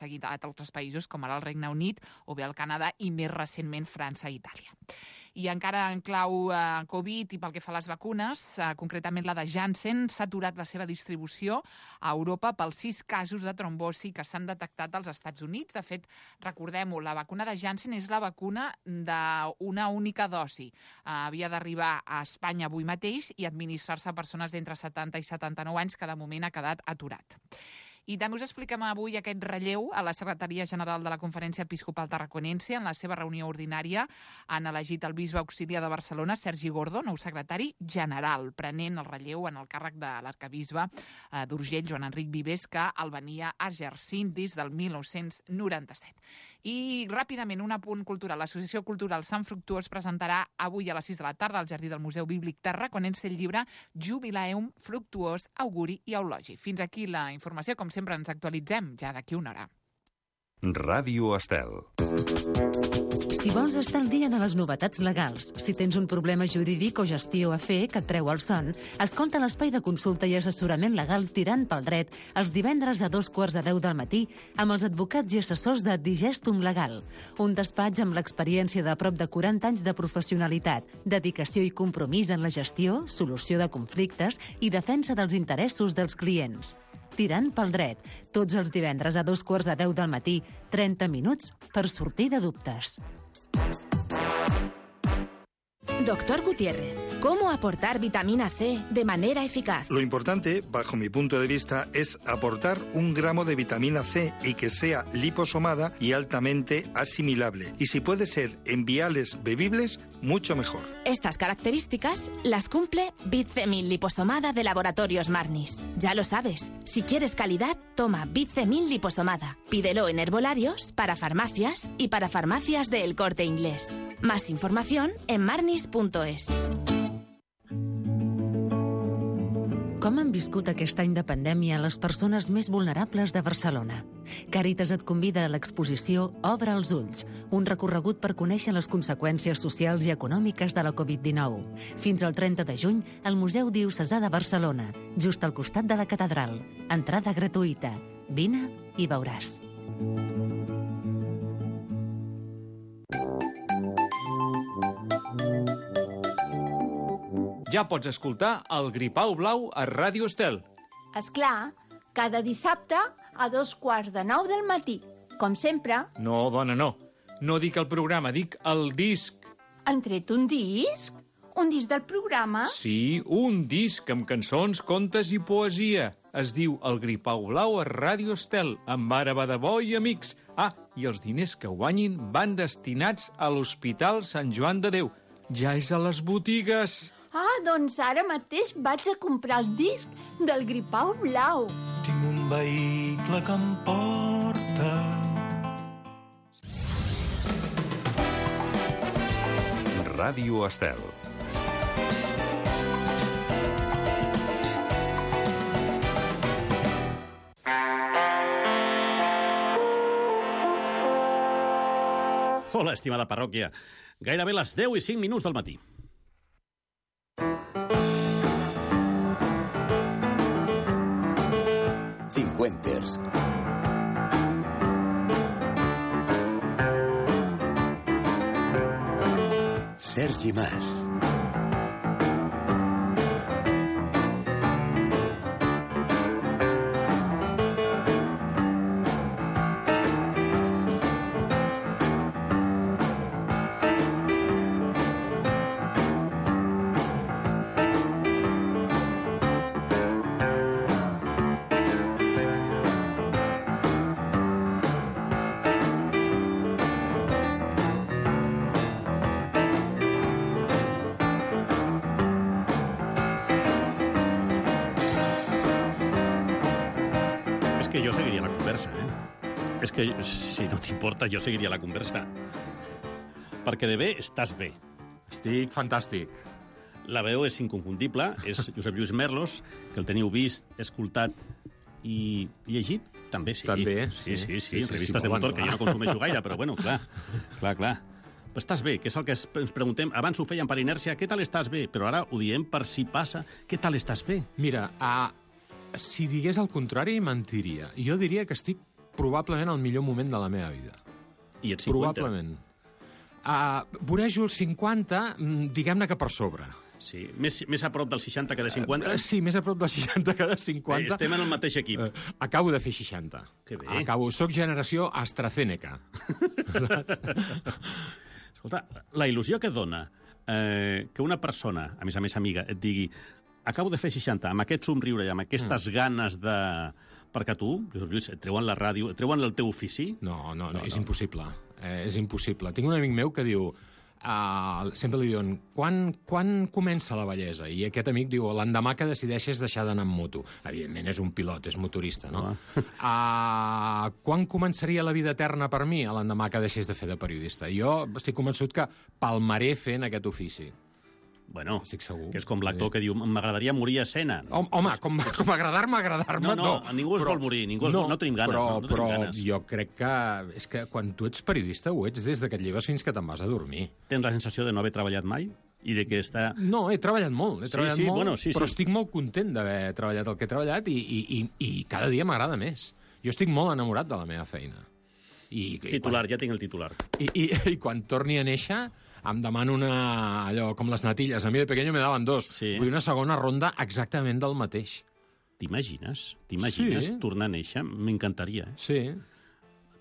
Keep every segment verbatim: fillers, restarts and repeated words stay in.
seguit a altres països com ara el Regne Unit o bé el Canadà i més recentment França i Itàlia. I encara en clau eh, Covid i pel que fa a les vacunes, eh, concretament la de Janssen, s'ha aturat la seva distribució a Europa pels sis casos de trombosi que s'han detectat als Estats Units. De fet, recordem-ho, la vacuna de Janssen és la vacuna d'una única dosi. Eh, havia d'arribar a Espanya avui mateix i administrar-se a persones d'entre setanta i setanta-nou anys que de moment ha quedat aturat. I també us expliquem avui aquest relleu a la Secretaria General de la Conferència Episcopal Tarraconense. En la seva reunió ordinària han elegit el bisbe auxiliar de Barcelona, Sergi Gordo, nou secretari general, prenent el relleu en el càrrec de l'arcabisbe eh, d'Urgell, Joan Enric Vives, que el venia exercint des del mil nou-cents noranta-set. I ràpidament, un apunt cultural. L'Associació Cultural Sant Fructuós presentarà avui a les sis de la tarda al Jardí del Museu Bíblic Tarraconense el llibre Jubilaeum Fructuós, Auguri i Eulogi. Fins aquí la informació. Com sempre ens actualitzem ja d'aquí una hora. Ràdio Estel. Si vols estar al dia de les novetats legals, si tens un problema jurídic o gestió a fer que et treu el son, escolta l'espai de consulta i assessorament legal Tirant pel Dret els divendres a dos quarts de deu del matí amb els advocats i assessors de Digestum Legal, un despatx amb l'experiència de prop de quaranta anys de professionalitat, dedicació i compromís en la gestió, solució de conflictes i defensa dels interessos dels clients. Tirant pel Dret, tots els divendres a dos quarts de deu del matí, trenta minuts per sortir de dubtes. Doctor Gutiérrez, ¿cómo aportar vitamina C de manera eficaz? Lo importante, bajo mi punto de vista, es aportar un gramo de vitamina C y que sea liposomada y altamente asimilable. Y si puede ser en viales bebibles, mucho mejor. Estas características las cumple Bitcemil liposomada de Laboratorios Marnis. Ya lo sabes, si quieres calidad, toma Bitcemil liposomada. Pídelo en herbolarios, para farmacias y para farmacias de El Corte Inglés. Más información en marnis punto es. Com han viscut aquest any de pandèmia les persones més vulnerables de Barcelona? Càritas et convida a l'exposició Obre els ulls, un recorregut per conèixer les conseqüències socials i econòmiques de la covid dinou. Fins al trenta de juny, al Museu Diocesà de Barcelona, just al costat de la catedral. Entrada gratuïta. Vine i veuràs. Ja pots escoltar el Gripau Blau a Ràdio Estel. Esclar, cada dissabte a dos quarts de nou del matí. Com sempre. No, dona, no. No dic el programa, dic el disc. Han tret un disc? Un disc del programa? Sí, un disc amb cançons, contes i poesia. Es diu El Gripau Blau a Ràdio Estel, amb Ara Badabó i amics. Ah, i els diners que guanyin van destinats a l'Hospital Sant Joan de Déu. Ja és a les botigues. Ah, doncs ara mateix vaig a comprar el disc del Gripau Blau. Tinc un vehicle que em porta. Ràdio Estel. Hola, estimada parròquia. Gairebé les deu i cinc minuts del matí. Cincuenters. Sergi Mas. Que jo seguiria la conversa, eh? És que, si no t'importa, jo seguiria la conversa. Perquè de bé estàs bé. Estic fantàstic. La veu és inconfundible, és Josep Lluís Merlos, que el teniu vist, escoltat i llegit, també, sí. També, sí. Sí, sí, sí, sí, sí, revistes sí, de motor, bueno, que jo no consumeixo gaire, però bueno, clar, clar, clar. Però estàs bé, que és el que ens preguntem. Abans ho fèiem per inèrcia, què tal estàs bé? Però ara ho diem per si passa, què tal estàs bé? Mira, a... si digués el contrari, mentiria. Jo diria que estic probablement el millor moment de la meva vida. I ets cinquanta? Probablement. Uh, vorejo els cinquanta, diguem-ne que per sobre. Sí, més, més a prop del seixanta que de cinquanta? Uh, sí, més a prop del seixanta que de cinquanta. Bé, estem en el mateix equip. Uh, acabo de fer seixanta. Que bé. Acabo, soc generació AstraZeneca. Escolta, la il·lusió que dona eh, que una persona, a més a més amiga, et digui acabo de fer seixanta, amb aquest somriure i amb aquestes mm. ganes de... Perquè tu, Lluís, et treuen la ràdio, et treuen el teu ofici? No, no, no, no és no. impossible. Eh, és impossible. Tinc un amic meu que diu... Uh, sempre li diuen, quan, quan comença la bellesa? I aquest amic diu, l'endemà que decideixes deixar d'anar amb moto. Evidentment, és un pilot, és motorista, no? Uh, quan començaria la vida eterna per mi? L'endemà que deixés de fer de periodista. Jo estic convençut que palmaré fent aquest ofici. Bueno, estic segur. Que és com l'actor que diu, m'agradaria morir a escena. Home, home com, com agradar-me, agradar-me, no. No, no. ningú es però, vol morir, ningú es, no, no tenim ganes. Però, no, no però tenim ganes. jo crec que és que quan tu ets periodista ho ets des que et lleves fins que te'n vas a dormir. Tens la sensació de no haver treballat mai? I de que està... No, he treballat molt, he sí, treballat sí, molt, bueno, sí, però sí. estic molt content d'haver treballat el que he treballat i, i, i, i cada dia m'agrada més. Jo estic molt enamorat de la meva feina. I, i titular, quan... ja tinc el titular. I, i, I quan torni a néixer em demano una... allò, com les natilles. A mi de pequeño me daven dos. Sí. Vull una segona ronda exactament del mateix. T'imagines? T'imagines sí. tornar a néixer? M'encantaria. Eh? Sí.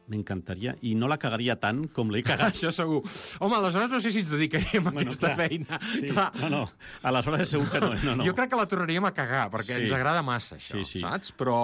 M'encantaria. I no la cagaria tant com l'he cagat. Això segur. Home, aleshores no sé si ens dedicaríem a bueno, aquesta clar, feina. Sí. Clar. No, no. Aleshores segur que no. no, no. Jo crec que la tornaríem a cagar, perquè sí. ens agrada massa, això, sí, sí. saps? Però...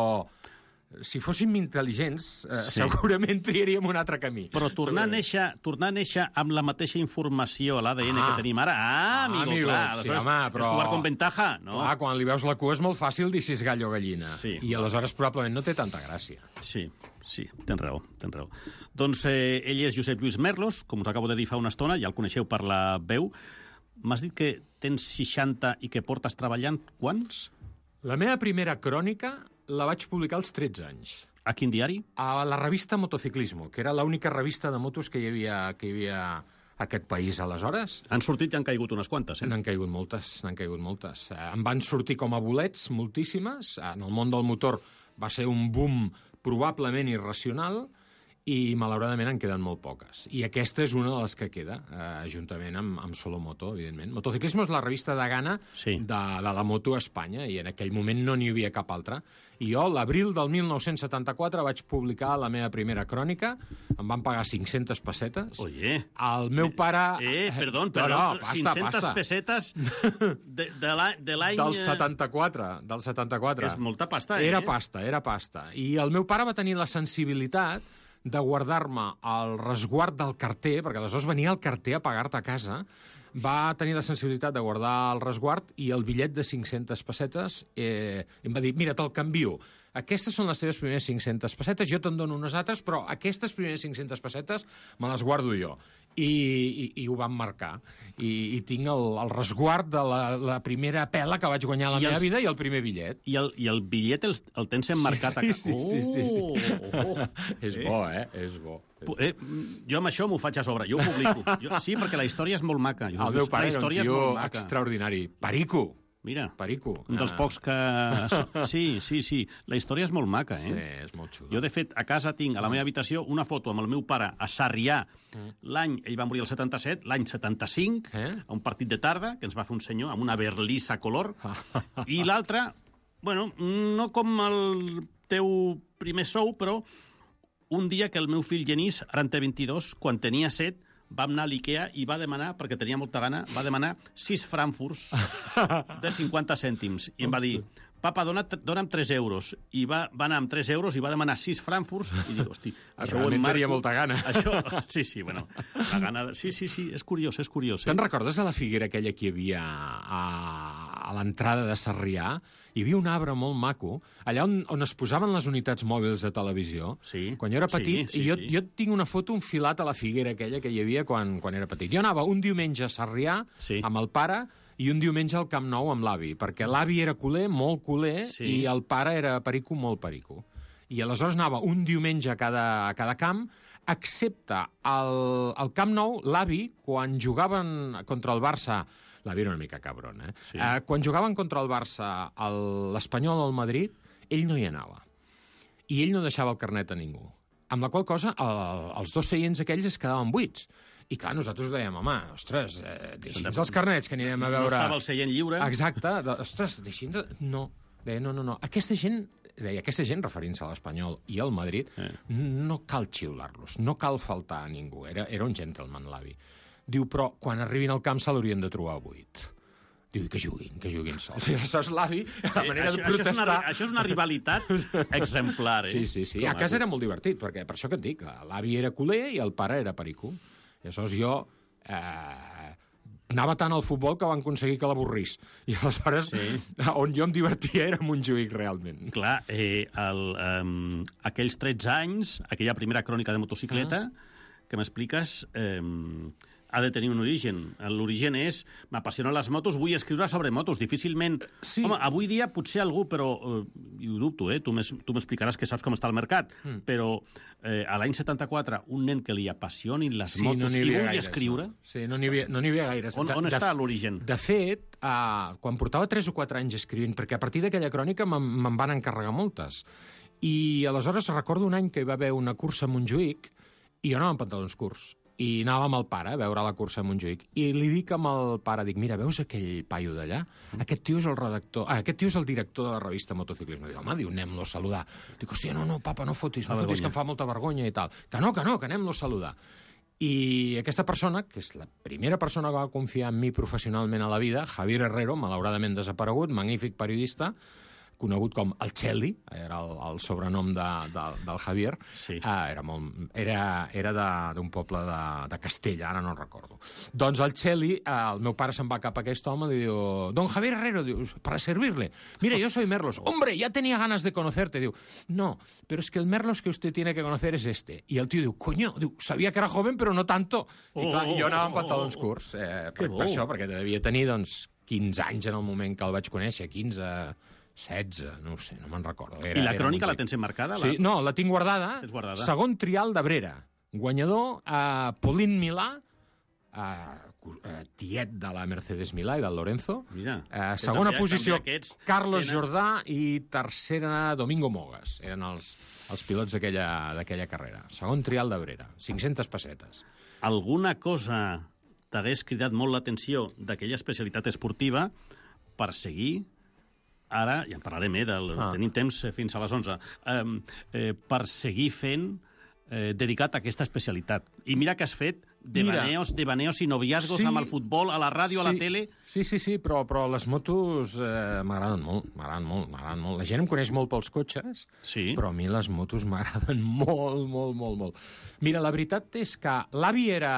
si fóssim intel·ligents, eh, sí. segurament triaríem un altre camí. Però tornar a, néixer, tornar a néixer amb la mateixa informació a l'A D N ah. que tenim ara... Ah, amigo, ah, amigo clar. Sí, home, però... És jugar con ventaja, no? Clar, quan li veus la cua és molt fàcil dir si és gall o gallina. Sí. I aleshores probablement no té tanta gràcia. Sí, sí, tens raó, tens raó. Doncs eh, ell és Josep Lluís Merlos, com us acabo de dir fa una estona, ja el coneixeu per la veu. M'has dit que tens seixanta i que portes treballant quants? La meva primera crònica la vaig publicar als tretze anys. A quin diari? A la revista Motociclismo, que era l'única revista de motos que hi havia, que hi havia a aquest país aleshores. Han sortit i han caigut unes quantes, eh? N'han caigut moltes, n'han caigut moltes. Eh, em van sortir com a bolets moltíssimes. En el món del motor va ser un boom probablement irracional i malauradament en queden molt poques. I aquesta és una de les que queda, eh, juntament amb, amb Solomoto, evidentment. Motociclismo és la revista de gana sí. de, de la moto a Espanya, i en aquell moment no n'hi havia cap altra. I jo, l'abril del mil nou-cents setanta-quatre, vaig publicar la meva primera crònica, em van pagar cinc-centes pessetes. Oye. El meu pare... Eh, perdó, perdó, no, no, pasta, cinc-centes pasta. pessetes de, de l'any... Del setanta-quatre, del setanta-quatre. És molta pasta, eh? Era pasta, era pasta. I el meu pare va tenir la sensibilitat de guardar-me el resguard del carter, perquè aleshores venia el carter a pagar-te a casa, va tenir la sensibilitat de guardar el resguard i el bitllet de cinc-centes pessetes eh, em va dir, mira, te'l canvio. Aquestes són les teves primeres cinc-centes pessetes, jo te'n dono unes altres, però aquestes primeres cinc-centes pessetes me les guardo jo. I, i, i ho van marcar. I, i tinc el, el resguard de la, la primera pela que vaig guanyar a la I meva els... vida i el primer bitllet. I el, i el bitllet el, el tens emmarcat sí, a... Sí, sí, sí, sí, sí. Oh, oh, oh. És bo, eh? És bo. Eh, jo amb això m'ho faig a sobre, jo ho publico. Jo, sí, perquè la història és molt maca. Jo, el meu pare era un tio maca. extraordinari. Perico. Mira, Perico. Un dels pocs que... Sí, sí, sí. La història és molt maca, eh? Sí, és molt xulo. Jo, de fet, a casa tinc, a la meva habitació, una foto amb el meu pare a Sarrià. Mm. L'any, ell va morir el setanta-set, l'any setanta-cinc, eh? a un partit de tarda, que ens va fer un senyor, amb una berlissa color. I l'altre, bueno, no com el teu primer sou, però un dia que el meu fill Genís, ara en té vint-i-dos, quan tenia set, vam anar a l'Ikea i va demanar, perquè tenia molta gana, va demanar sis frankfurts de cinquanta cèntims. I em va dir, papa, dona, dona'm tres euros. I va, va anar amb tres euros i va demanar sis frankfurts. I dic, hosti, això ho emmarco. Tenia molta gana. Això, sí, sí, bueno, la gana... Sí, sí, sí, és curiós, és curiós. Eh? Te'n recordes de la figuera aquella que hi havia a, a l'entrada de Sarrià? Hi havia un arbre molt maco, allà on, on es posaven les unitats mòbils de televisió. Sí. Quan jo era petit, sí, sí, i jo, sí. jo tinc una foto enfilat a la figuera aquella que hi havia quan, quan era petit. Jo anava un diumenge a Sarrià sí. amb el pare i un diumenge al Camp Nou amb l'avi, perquè l'avi era culer, molt culer, sí. i el pare era perico, molt perico. I aleshores anava un diumenge a cada, a cada camp, excepte al, al Camp Nou, l'avi, quan jugaven contra el Barça, l'avi era una mica cabron, eh? Sí. eh quan jugaven contra el Barça, l'Espanyol o el Madrid, ell no hi anava. i ell no deixava el carnet a ningú. Amb la qual cosa, el, els dos seients aquells es quedaven buits. I clar, nosaltres dèiem, home, ostres, eh, deixi'ns els carnets, que anirem a veure... No estava el seient lliure. Exacte, de, ostres, deixi'ns... No, deia, no, no, no. Aquesta gent, deia, aquesta gent, referint-se a l'Espanyol i al Madrid, eh. no cal xiular-los, no cal faltar a ningú. Era, era un gentleman, l'avi. Diu, però quan arribin al camp se l'haurien de trobar buit. Diu, que juguin, que juguin sols. I aleshores l'avi, a la manera eh, això, de protestar... Això és, una, això és una rivalitat exemplar, eh? Sí, sí, sí. Com a casa era molt divertit, perquè per això que et dic, l'avi era culer i el pare era pericú. I aleshores jo eh, anava tant al futbol que van aconseguir que l'avorrís. I aleshores, sí. on jo em divertia era Montjuïc, realment. Clar, eh, el, um, aquells tretze anys, aquella primera crònica de motocicleta, ah. que m'expliques... Eh, ha de tenir un origen. L'origen és, m'apassionen les motos, vull escriure sobre motos. Difícilment... Sí. Home, avui dia potser algú, però... Eh, i ho dubto, eh? Tu m'explicaràs que saps com està el mercat. Mm. Però eh, a l'any setanta-quatre, un nen que li apassionin les sí, motos no i vulgui gaires, escriure... No? Sí, no n'hi havia, no havia gaires. On, on de, està l'origen? De fet, eh, quan portava tres o quatre anys escrivint, perquè a partir d'aquella crònica me'n van encarregar moltes, i aleshores recordo un any que hi va haver una cursa a Montjuïc i jo anava amb pantalons curts. I anava amb el pare a veure la cursa a Montjuïc. I li dic amb el pare, dic, mira, veus aquell paio d'allà? Aquest tio és el redactor... Ah, aquest tio és el director de la revista Motociclisme. Diu, home, diu, anem-lo a saludar. Dic, hòstia, no, no, papa, no fotis, no fotis, que em fa molta vergonya i tal. Que no, que no, que anem-lo a saludar. I aquesta persona, que és la primera persona que va confiar en mi professionalment a la vida, Javier Herrero, malauradament desaparegut, magnífic periodista, conegut com el Cheli, era el, el sobrenom de, de, del Javier, sí. ah, era, molt, era, era d'un poble de, de Castella, ara no recordo. Doncs el Cheli, eh, el meu pare se'n va cap a aquest home i diu, don Javier Herrero, diu, para servirle. Mira, yo soy Merlos. Hombre, ya tenía ganas de conocerte. Diu, no, pero es que el Merlos que usted tiene que conocer es este. I el tio diu, coño, diu, sabia que era joven, però no tanto. I clar, oh, jo anava amb pantalons curts, eh, per, per això, perquè devia tenir, doncs, quinze anys en el moment que el vaig conèixer, quinze... setze, no ho sé, no me'n recordo. Era, I la crònica la tens enmarcada? Sí, no, la tinc guardada. Tens guardada. Segon trial d'Abrera. Guanyador, uh, Pauline Milà, uh, tiet de la Mercedes Milà i del Lorenzo. Mira, uh, segona també, posició, també Carlos tenen... Jordà, i tercera, Domingo Mogas. Eren els, els pilots d'aquella carrera. Segon trial d'Abrera, cinc-centes pessetes. Alguna cosa t'hagués cridat molt l'atenció d'aquella especialitat esportiva per seguir... Ara, ja en parlarem, eh, del, ah. tenim temps fins a les onze, eh, eh, per seguir fent eh, dedicat a aquesta especialitat. I mira que has fet devaneos, devaneos i noviazgos sí, amb el futbol, a la ràdio, sí, a la tele... Sí, sí, sí, però, però les motos eh, m'agraden molt, m'agraden molt, m'agraden molt. La gent em coneix molt pels cotxes, sí. però a mi les motos m'agraden molt, molt, molt, molt. Mira, la veritat és que l'avi era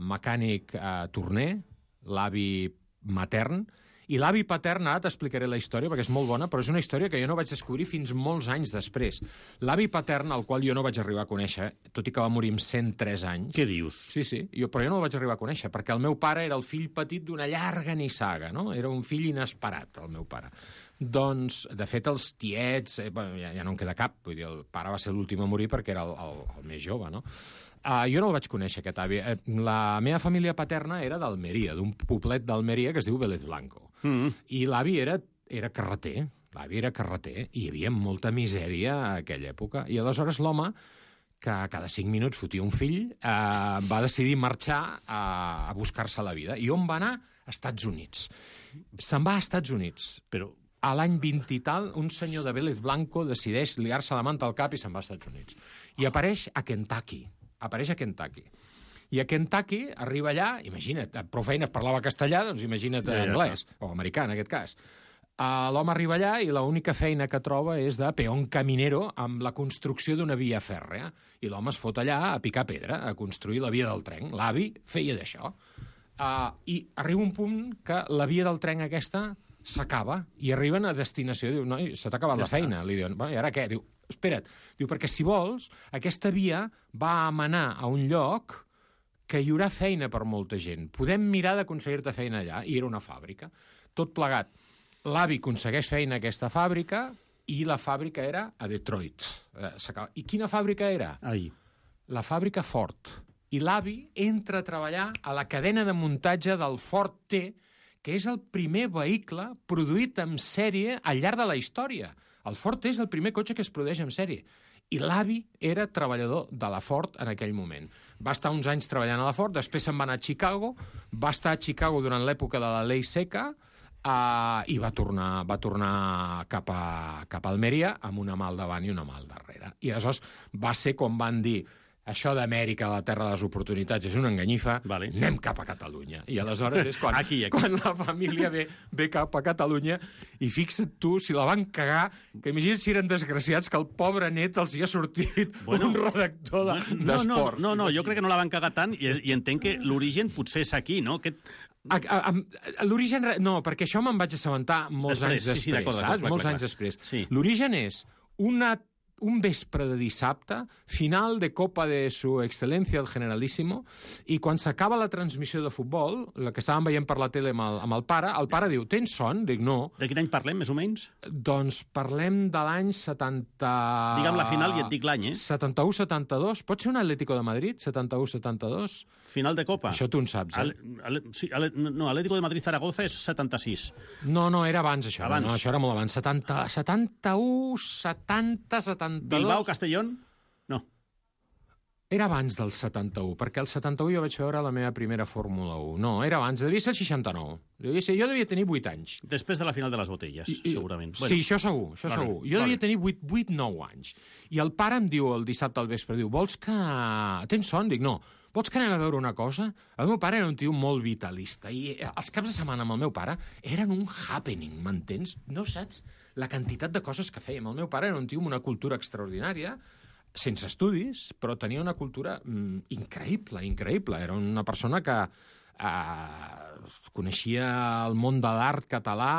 mecànic eh, torner, l'avi matern, i l'avi patern, ara t'explicaré la història, perquè és molt bona, però és una història que jo no vaig descobrir fins molts anys després. L'avi patern, al qual jo no vaig arribar a conèixer, tot i que va morir amb cent tres anys... Què dius? Sí, sí, jo, però jo no el vaig arribar a conèixer, perquè el meu pare era el fill petit d'una llarga nissaga, no? Era un fill inesperat, el meu pare. Doncs, de fet, els tiets... Eh, bueno, ja, ja no en queda cap, vull dir, el pare va ser l'últim a morir perquè era el, el, el més jove, no? Uh, jo no el vaig conèixer, aquest avi. La meva família paterna era d'Almeria, d'un poblet d'Almeria que es diu Vélez Blanco. Mm -hmm. I l'avi era, era carreter, l'avi era carreter, i hi havia molta misèria a aquella època. I aleshores l'home, que cada cinc minuts fotia un fill, eh, va decidir marxar a, a buscar-se la vida. I on va anar? A Estats Units. Se'n va a Estats Units. Però a l'any vint i tal, un senyor de Vélez Blanco decideix liar-se la manta al cap i se'n va a Estats Units. I apareix a Kentucky. Apareix a Kentucky. I a Kentucky arriba allà, imagina't, prou feines parlava castellà, doncs imagina't ja, ja, anglès, ja. o americà en aquest cas. Uh, L'home arriba allà i l'única feina que troba és de peón caminero amb la construcció d'una via fèrrea. I l'home es fot allà a picar pedra, a construir la via del tren. L'avi feia d'això. Uh, I arriba un punt que la via del tren aquesta s'acaba i arriben a destinació. Diu, noi, se t'ha acabat ja la feina. Li diuen, bueno, i ara què? Diu, espera't, diu, perquè si vols, aquesta via va a manar a un lloc que hi haurà feina per molta gent. Podem mirar d'aconseguir-te feina allà. I era una fàbrica. Tot plegat. L'avi aconsegueix feina a aquesta fàbrica i la fàbrica era a Detroit. I quina fàbrica era? Ai. La fàbrica Ford. I l'avi entra a treballar a la cadena de muntatge del Ford T, que és el primer vehicle produït en sèrie al llarg de la història. El Ford T és el primer cotxe que es produeix en sèrie. I l'avi era treballador de la Ford en aquell moment. Va estar uns anys treballant a la Ford, després se'n va anar a Chicago, va estar a Chicago durant l'època de la Ley Seca, Uh, i va tornar, va tornar cap, a, cap a Almeria amb una mà al davant i una mà al darrere. I aleshores va ser com van dir això d'Amèrica, la terra de les oportunitats, és una enganyifa, vale. Anem cap a Catalunya. I aleshores és quan, aquí, aquí. quan la família ve, ve cap a Catalunya i fixa't tu, si la van cagar, que imagina't si eren desgraciats que el pobre net els hi ha sortit bueno, un redactor d'esports. No, no, no, no, jo crec que no la van cagar tant i, i entenc que l'origen potser és aquí, no? Aquest... L'origen... No, perquè això me'n vaig assabentar molts després, anys després, sí, sí, saps? Clar, molts clar, anys clar. després. Sí. L'origen és una, un vespre de dissabte, final de Copa de su excelencia el Generalísimo, i quan s'acaba la transmissió de futbol, la que estàvem veient per la tele amb el, amb el pare, el pare diu, tens son? Dic, no. De quin any parlem, més o menys? Doncs parlem de l'any setanta... Digue'm la final i et dic l'any, eh? setanta-u setanta-dos. Pot ser un Atlético de Madrid, setanta-u setanta-dos? Final de Copa. Això tu en saps, eh? Ale, ale, sí, ale, no, Atlético de Madrid-Zaragoza és setanta-sis. No, no, era abans, això. Abans. No, això era molt abans. setanta, setanta-u, setanta, setanta-dos... Bilbao, Castellón? No. Era abans del setanta-u, perquè el setanta-u jo vaig veure la meva primera Fórmula un. No, era abans, devia ser el seixanta-nou. Devia ser, jo devia tenir vuit anys. Després de la final de les botelles, I, segurament. Bueno, sí, això segur, això vale, segur. Jo vale. devia tenir vuit nou anys. I el pare em diu el dissabte al vespre, diu, vols que... Tens son? Dic, no. Vols que anem a veure una cosa? El meu pare era un tio molt vitalista i els caps de setmana amb el meu pare eren un happening, m'entens? No saps la quantitat de coses que fèiem. El meu pare era un tio amb una cultura extraordinària, sense estudis, però tenia una cultura mm, increïble, increïble. Era una persona que eh, coneixia el món de l'art català.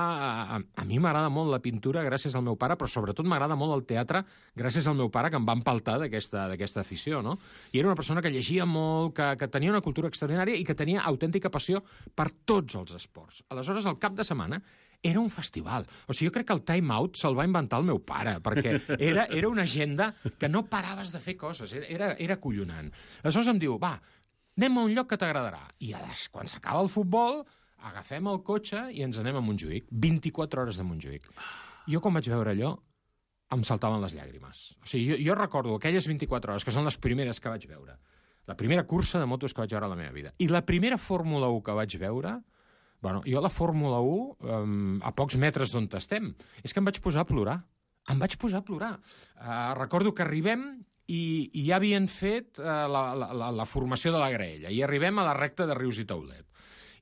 A, a mi m'agrada molt la pintura gràcies al meu pare, però sobretot m'agrada molt el teatre gràcies al meu pare, que em va empaltar d'aquesta d'aquesta afició, no? I era una persona que llegia molt, que, que tenia una cultura extraordinària i que tenia autèntica passió per tots els esports. Aleshores, el cap de setmana era un festival. O sigui, jo crec que el time out se'l va inventar el meu pare, perquè era, era una agenda que no paraves de fer coses, era, era acollonant. Aleshores em diu, va, anem a un lloc que t'agradarà. I quan s'acaba el futbol, agafem el cotxe i ens anem a Montjuïc. vint-i-quatre hores de Montjuïc. Jo, quan vaig veure allò, em saltaven les llàgrimes. O sigui, jo, jo recordo aquelles vint-i-quatre hores, que són les primeres que vaig veure. La primera cursa de motos que vaig veure a la meva vida. I la primera Fórmula un que vaig veure... Bueno, jo a la Fórmula un, um, a pocs metres d'on estem, és que em vaig posar a plorar. Em vaig posar a plorar. Uh, recordo que arribem i, i ja havien fet uh, la, la, la, la formació de la graella i arribem a la recta de Rius i Taulet.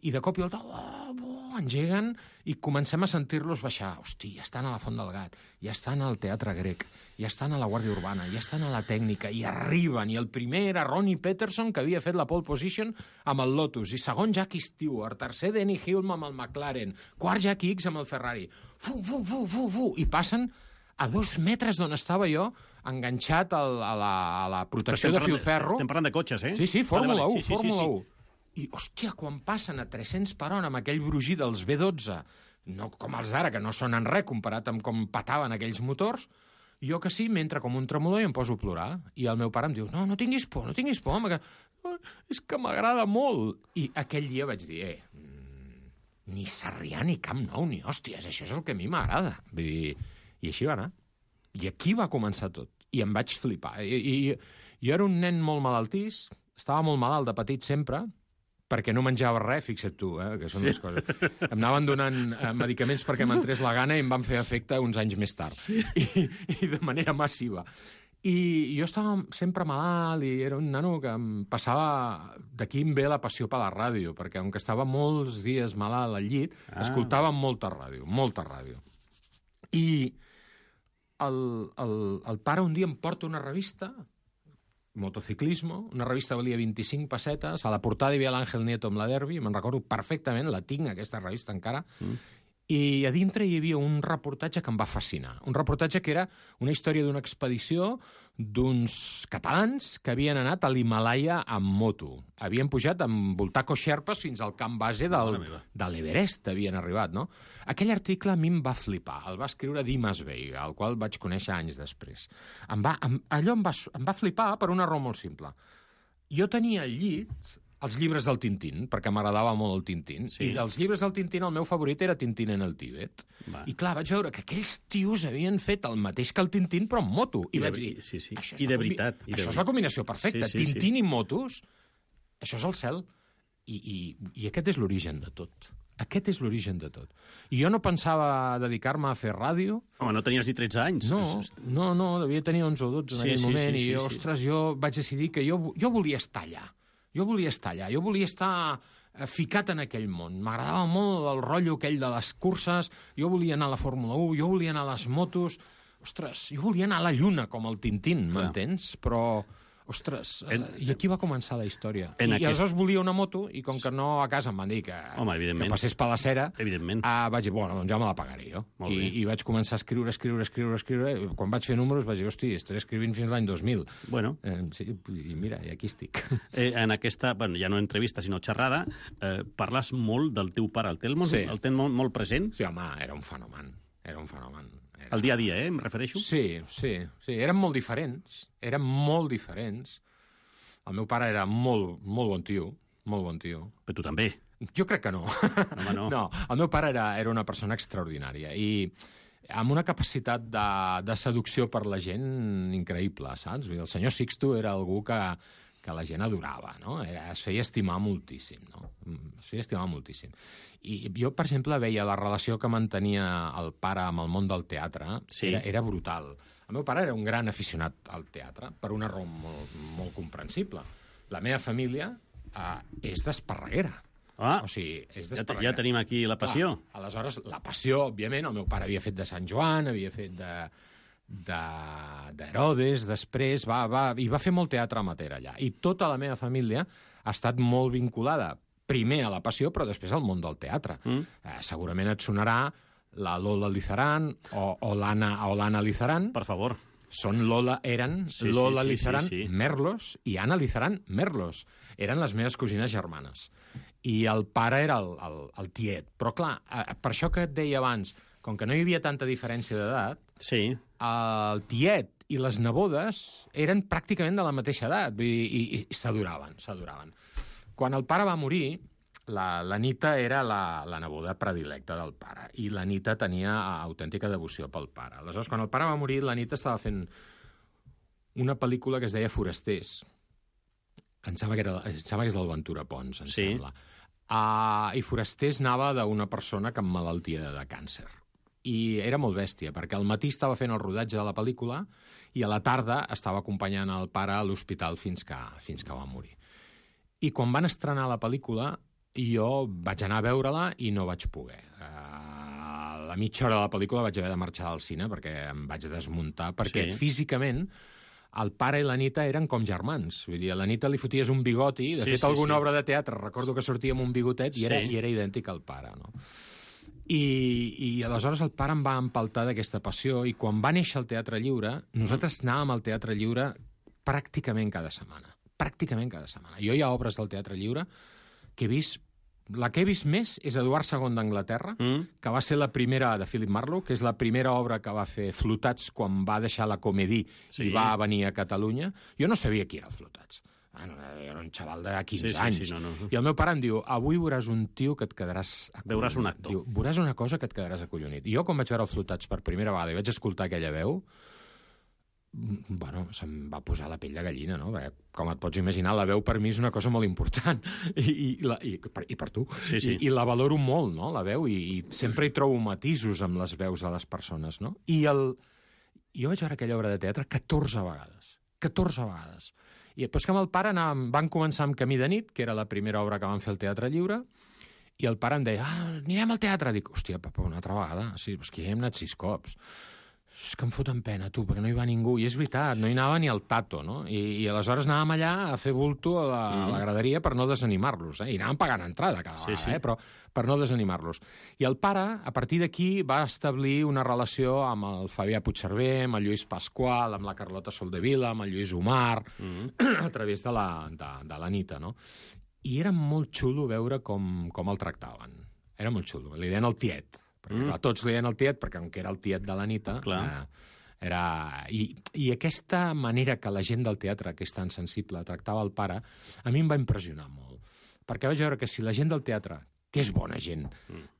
I de cop i volta, oh, oh, engeguen i comencem a sentir-los baixar. Hosti, ja estan a la Font del Gat, ja estan al Teatre Grec, ja estan a la Guàrdia Urbana, ja estan a la Tècnica, i arriben, i el primer era Ronnie Peterson, que havia fet la pole position amb el Lotus, i segon Jackie Stewart, tercer Denny Hulme amb el McLaren, quart Jack Hicks amb el Ferrari. Fu, fu, fu, fu, fu, i passen a dos metres d'on estava jo, enganxat al, a, la, a la protecció de filferro. Estem parlant de cotxes, eh? Sí, sí, Fórmula vale, vale. un, sí, sí, Fórmula sí, sí. un. I, hòstia, quan passen a tres-cents per hora amb aquell brugir dels B dotze, no com els d'ara, que no són en res comparat amb com pataven aquells motors, jo que sí, m'entra com un tremolor i em poso a plorar. I el meu pare em diu, no, no tinguis por, no tinguis por, home, que... és que m'agrada molt. I aquell dia vaig dir, eh, ni Sarrià ni Camp Nou, ni hòsties, això és el que a mi m'agrada. Vull dir, i així va anar. I aquí va començar tot. I em vaig flipar. I, i jo era un nen molt malaltís, estava molt malalt de petit sempre, perquè no menjava res, fixa't tu, eh, que són sí. les coses. Em anaven donant eh, medicaments perquè m'entrés la gana i em van fer efecte uns anys més tard. Sí. I, I de manera massiva. I jo estava sempre malalt i era un nano que em passava... D'aquí em ve la passió per la ràdio, perquè com que estava molts dies malalt al llit, ah. escoltava molta ràdio, molta ràdio. I el, el, el pare un dia em porta una revista... Motociclismo, una revista valia vint-i-cinc pessetes, a la portada hi havia l'Àngel Nieto amb la Derby, me'n recordo perfectament, la tinc, aquesta revista encara, mm. i a dintre hi havia un reportatge que em va fascinar. Un reportatge que era una història d'una expedició d'uns catalans que havien anat a l'Himalaya amb moto. Havien pujat amb Voltaco Sherpas fins al camp base del, de l'Everest, havien arribat, no? Aquell article a mi em va flipar. El va escriure Dimas Veiga, el qual vaig conèixer anys després. Em va, em, allò em va, em va flipar per una raó molt simple. Jo tenia al llit els llibres del Tintín, perquè m'agradava molt el Tintín. Sí. I dels llibres del Tintín, el meu favorit era Tintín en el Tíbet. Va. I clar, vaig veure que aquells tios havien fet el mateix que el Tintín, però amb moto. I, I vaig dir, sí, sí. Això, I de veritat. I de això veritat. és la combinació perfecta. Sí, sí, Tintín sí. i motos, això és el cel. I, i, i aquest és l'origen de tot. Aquest és l'origen de tot. I jo no pensava dedicar-me a fer ràdio. Home, no tenies ni tretze anys. No, no, no devia tenir onze o dotze en sí, aquell sí, moment. Sí, sí, I, sí, ostres, jo vaig decidir que jo, jo volia estar allà. Jo volia estar allà, jo volia estar ficat en aquell món. M'agradava molt el rotllo aquell de les curses, jo volia anar a la Fórmula u, jo volia anar a les motos... Ostres, jo volia anar a la Lluna, com el Tintín, m'entens? Però, ostres, en, i aquí va començar la història. I, aquest... I aleshores volia una moto, i com que no a casa em van dir que, Home, que passés per la cera, evidentment. Ah, vaig dir, bueno, doncs ja me la pagaré jo. I, I vaig començar a escriure, escriure, escriure, escriure. Quan vaig fer números vaig dir, hosti, estaré escrivint fins l'any dos mil. Bueno. Eh, sí, i mira, i aquí estic. Eh, en aquesta, bueno, ja no entrevista, sinó xerrada, eh, parles molt del teu pare. El tens molt, sí. el tens molt, molt present? Sí, home, era un fenomen. Era un fenomen. Era... El dia a dia, eh, em refereixo? Sí, sí, sí. Eren molt diferents. Eren molt diferents. El meu pare era molt, molt bon tio, molt bon tio. Però tu també. Jo crec que no. Home, no. No, el meu pare era, era una persona extraordinària i amb una capacitat de, de seducció per la gent increïble, saps? El senyor Sixto era algú que, que la gent adorava, no? Era, es feia estimar moltíssim, no? Es feia estimar moltíssim. I jo, per exemple, veia la relació que mantenia el pare amb el món del teatre, sí. era, era brutal. El meu pare era un gran aficionat al teatre, per una raó molt, molt comprensible. La meva família eh, és d'Esparreguera. Ah, o sigui, és ja, ja tenim aquí la passió. Ah, aleshores, la passió, òbviament, el meu pare havia fet de Sant Joan, havia fet de d'Herodes, de, després, va, va, i va fer molt teatre amateur allà. I tota la meva família ha estat molt vinculada, primer a la passió, però després al món del teatre. Mm. Eh, segurament et sonarà la Lola Lizaran o, o l'Anna Lizaran. Per favor. Són Lola, eren sí, Lola sí, sí, Lizaran sí, sí. Merlos i Anna Lizaran Merlos. Eren les meves cosines germanes. I el pare era el, el, el tiet. Però, clar, eh, per això que et deia abans, com que no hi havia tanta diferència d'edat, sí. el tiet i les nebodes eren pràcticament de la mateixa edat i, i, i s'adoraven, s'adoraven. Quan el pare va morir, la, la Nita era la, la neboda predilecta del pare i la Nita tenia autèntica devoció pel pare. Aleshores, quan el pare va morir, la Nita estava fent una pel·lícula que es deia Forasters. Em sembla que, era, em sembla que és del Ventura Pons, em sí. sembla. Uh, I Forasters anava d'una persona que emmalaltia de càncer. I era molt bèstia, perquè al matí estava fent el rodatge de la pel·lícula i a la tarda estava acompanyant el pare a l'hospital fins que, fins que va morir. I quan van estrenar la pel·lícula, jo vaig anar a veure-la i no vaig poder. Uh, a la mitja hora de la pel·lícula vaig haver de marxar al cine perquè em vaig desmuntar, perquè sí. físicament el pare i la Nita eren com germans. Vull dir, a la Nita li foties un bigoti, de sí, fet sí, alguna sí. obra de teatre, recordo que sortia amb un bigotet i era, sí. i era idèntic al pare, no? I, I aleshores el pare em va empaltar d'aquesta passió i quan va néixer el Teatre Lliure, nosaltres anàvem al Teatre Lliure pràcticament cada setmana. Pràcticament cada setmana. Jo hi ha obres del Teatre Lliure que he vist... La que he vist més és Eduard segon d'Anglaterra, mm. que va ser la primera de Philip Marlowe, que és la primera obra que va fer Flotats quan va deixar la Comédie sí. i va venir a Catalunya. Jo no sabia qui era el Flotats. Ah, no, era un xaval de quinze sí, sí, anys. Sí, no, no. I el meu pare em diu, avui veuràs un tio que et quedaràs acollonit. Veuràs un actor. Diu, veuràs una cosa que et quedaràs acollonit. I jo, quan vaig veure el Flotats per primera vegada i vaig escoltar aquella veu, bueno, se'm va posar la pell de gallina, no? Perquè, com et pots imaginar, la veu per mi és una cosa molt important. I, i, la, i, per, i per tu. Sí, sí. I, I la valoro molt, no?, la veu, i, i sempre hi trobo matisos amb les veus de les persones, no? I el... jo vaig veure aquella obra de teatre catorze vegades. catorze vegades. I després que amb el pare anàvem, van començar amb Camí de nit, que era la primera obra que van fer al Teatre Lliure, i el pare em deia, ah, anirem al teatre. Dic, hòstia, papa, una altra vegada? Sí, és que ja hem anat sis cops. És que em foten pena, tu, perquè no hi va ningú. I és veritat, no hi anava ni el tato, no? I, i aleshores anàvem allà a fer bulto a la, mm. a la graderia per no desanimar-los, eh? I anàvem pagant entrada cada vegada, sí, sí. eh? Però per no desanimar-los. I el pare, a partir d'aquí, va establir una relació amb el Fabià Puigcerver, amb el Lluís Pasqual, amb la Carlota Soldevila, amb el Lluís Omar, mm. a través de la, de, de la Nita, no? I era molt xulo veure com, com el tractaven. Era molt xulo. Li deien el tiet. Mm. A tots li deien el tiet, perquè com que era el tiet de la Nita, eh, era... I, I aquesta manera que la gent del teatre, que és tan sensible, tractava el pare, a mi em va impressionar molt. perquè vaig veure que si la gent del teatre, que és bona gent,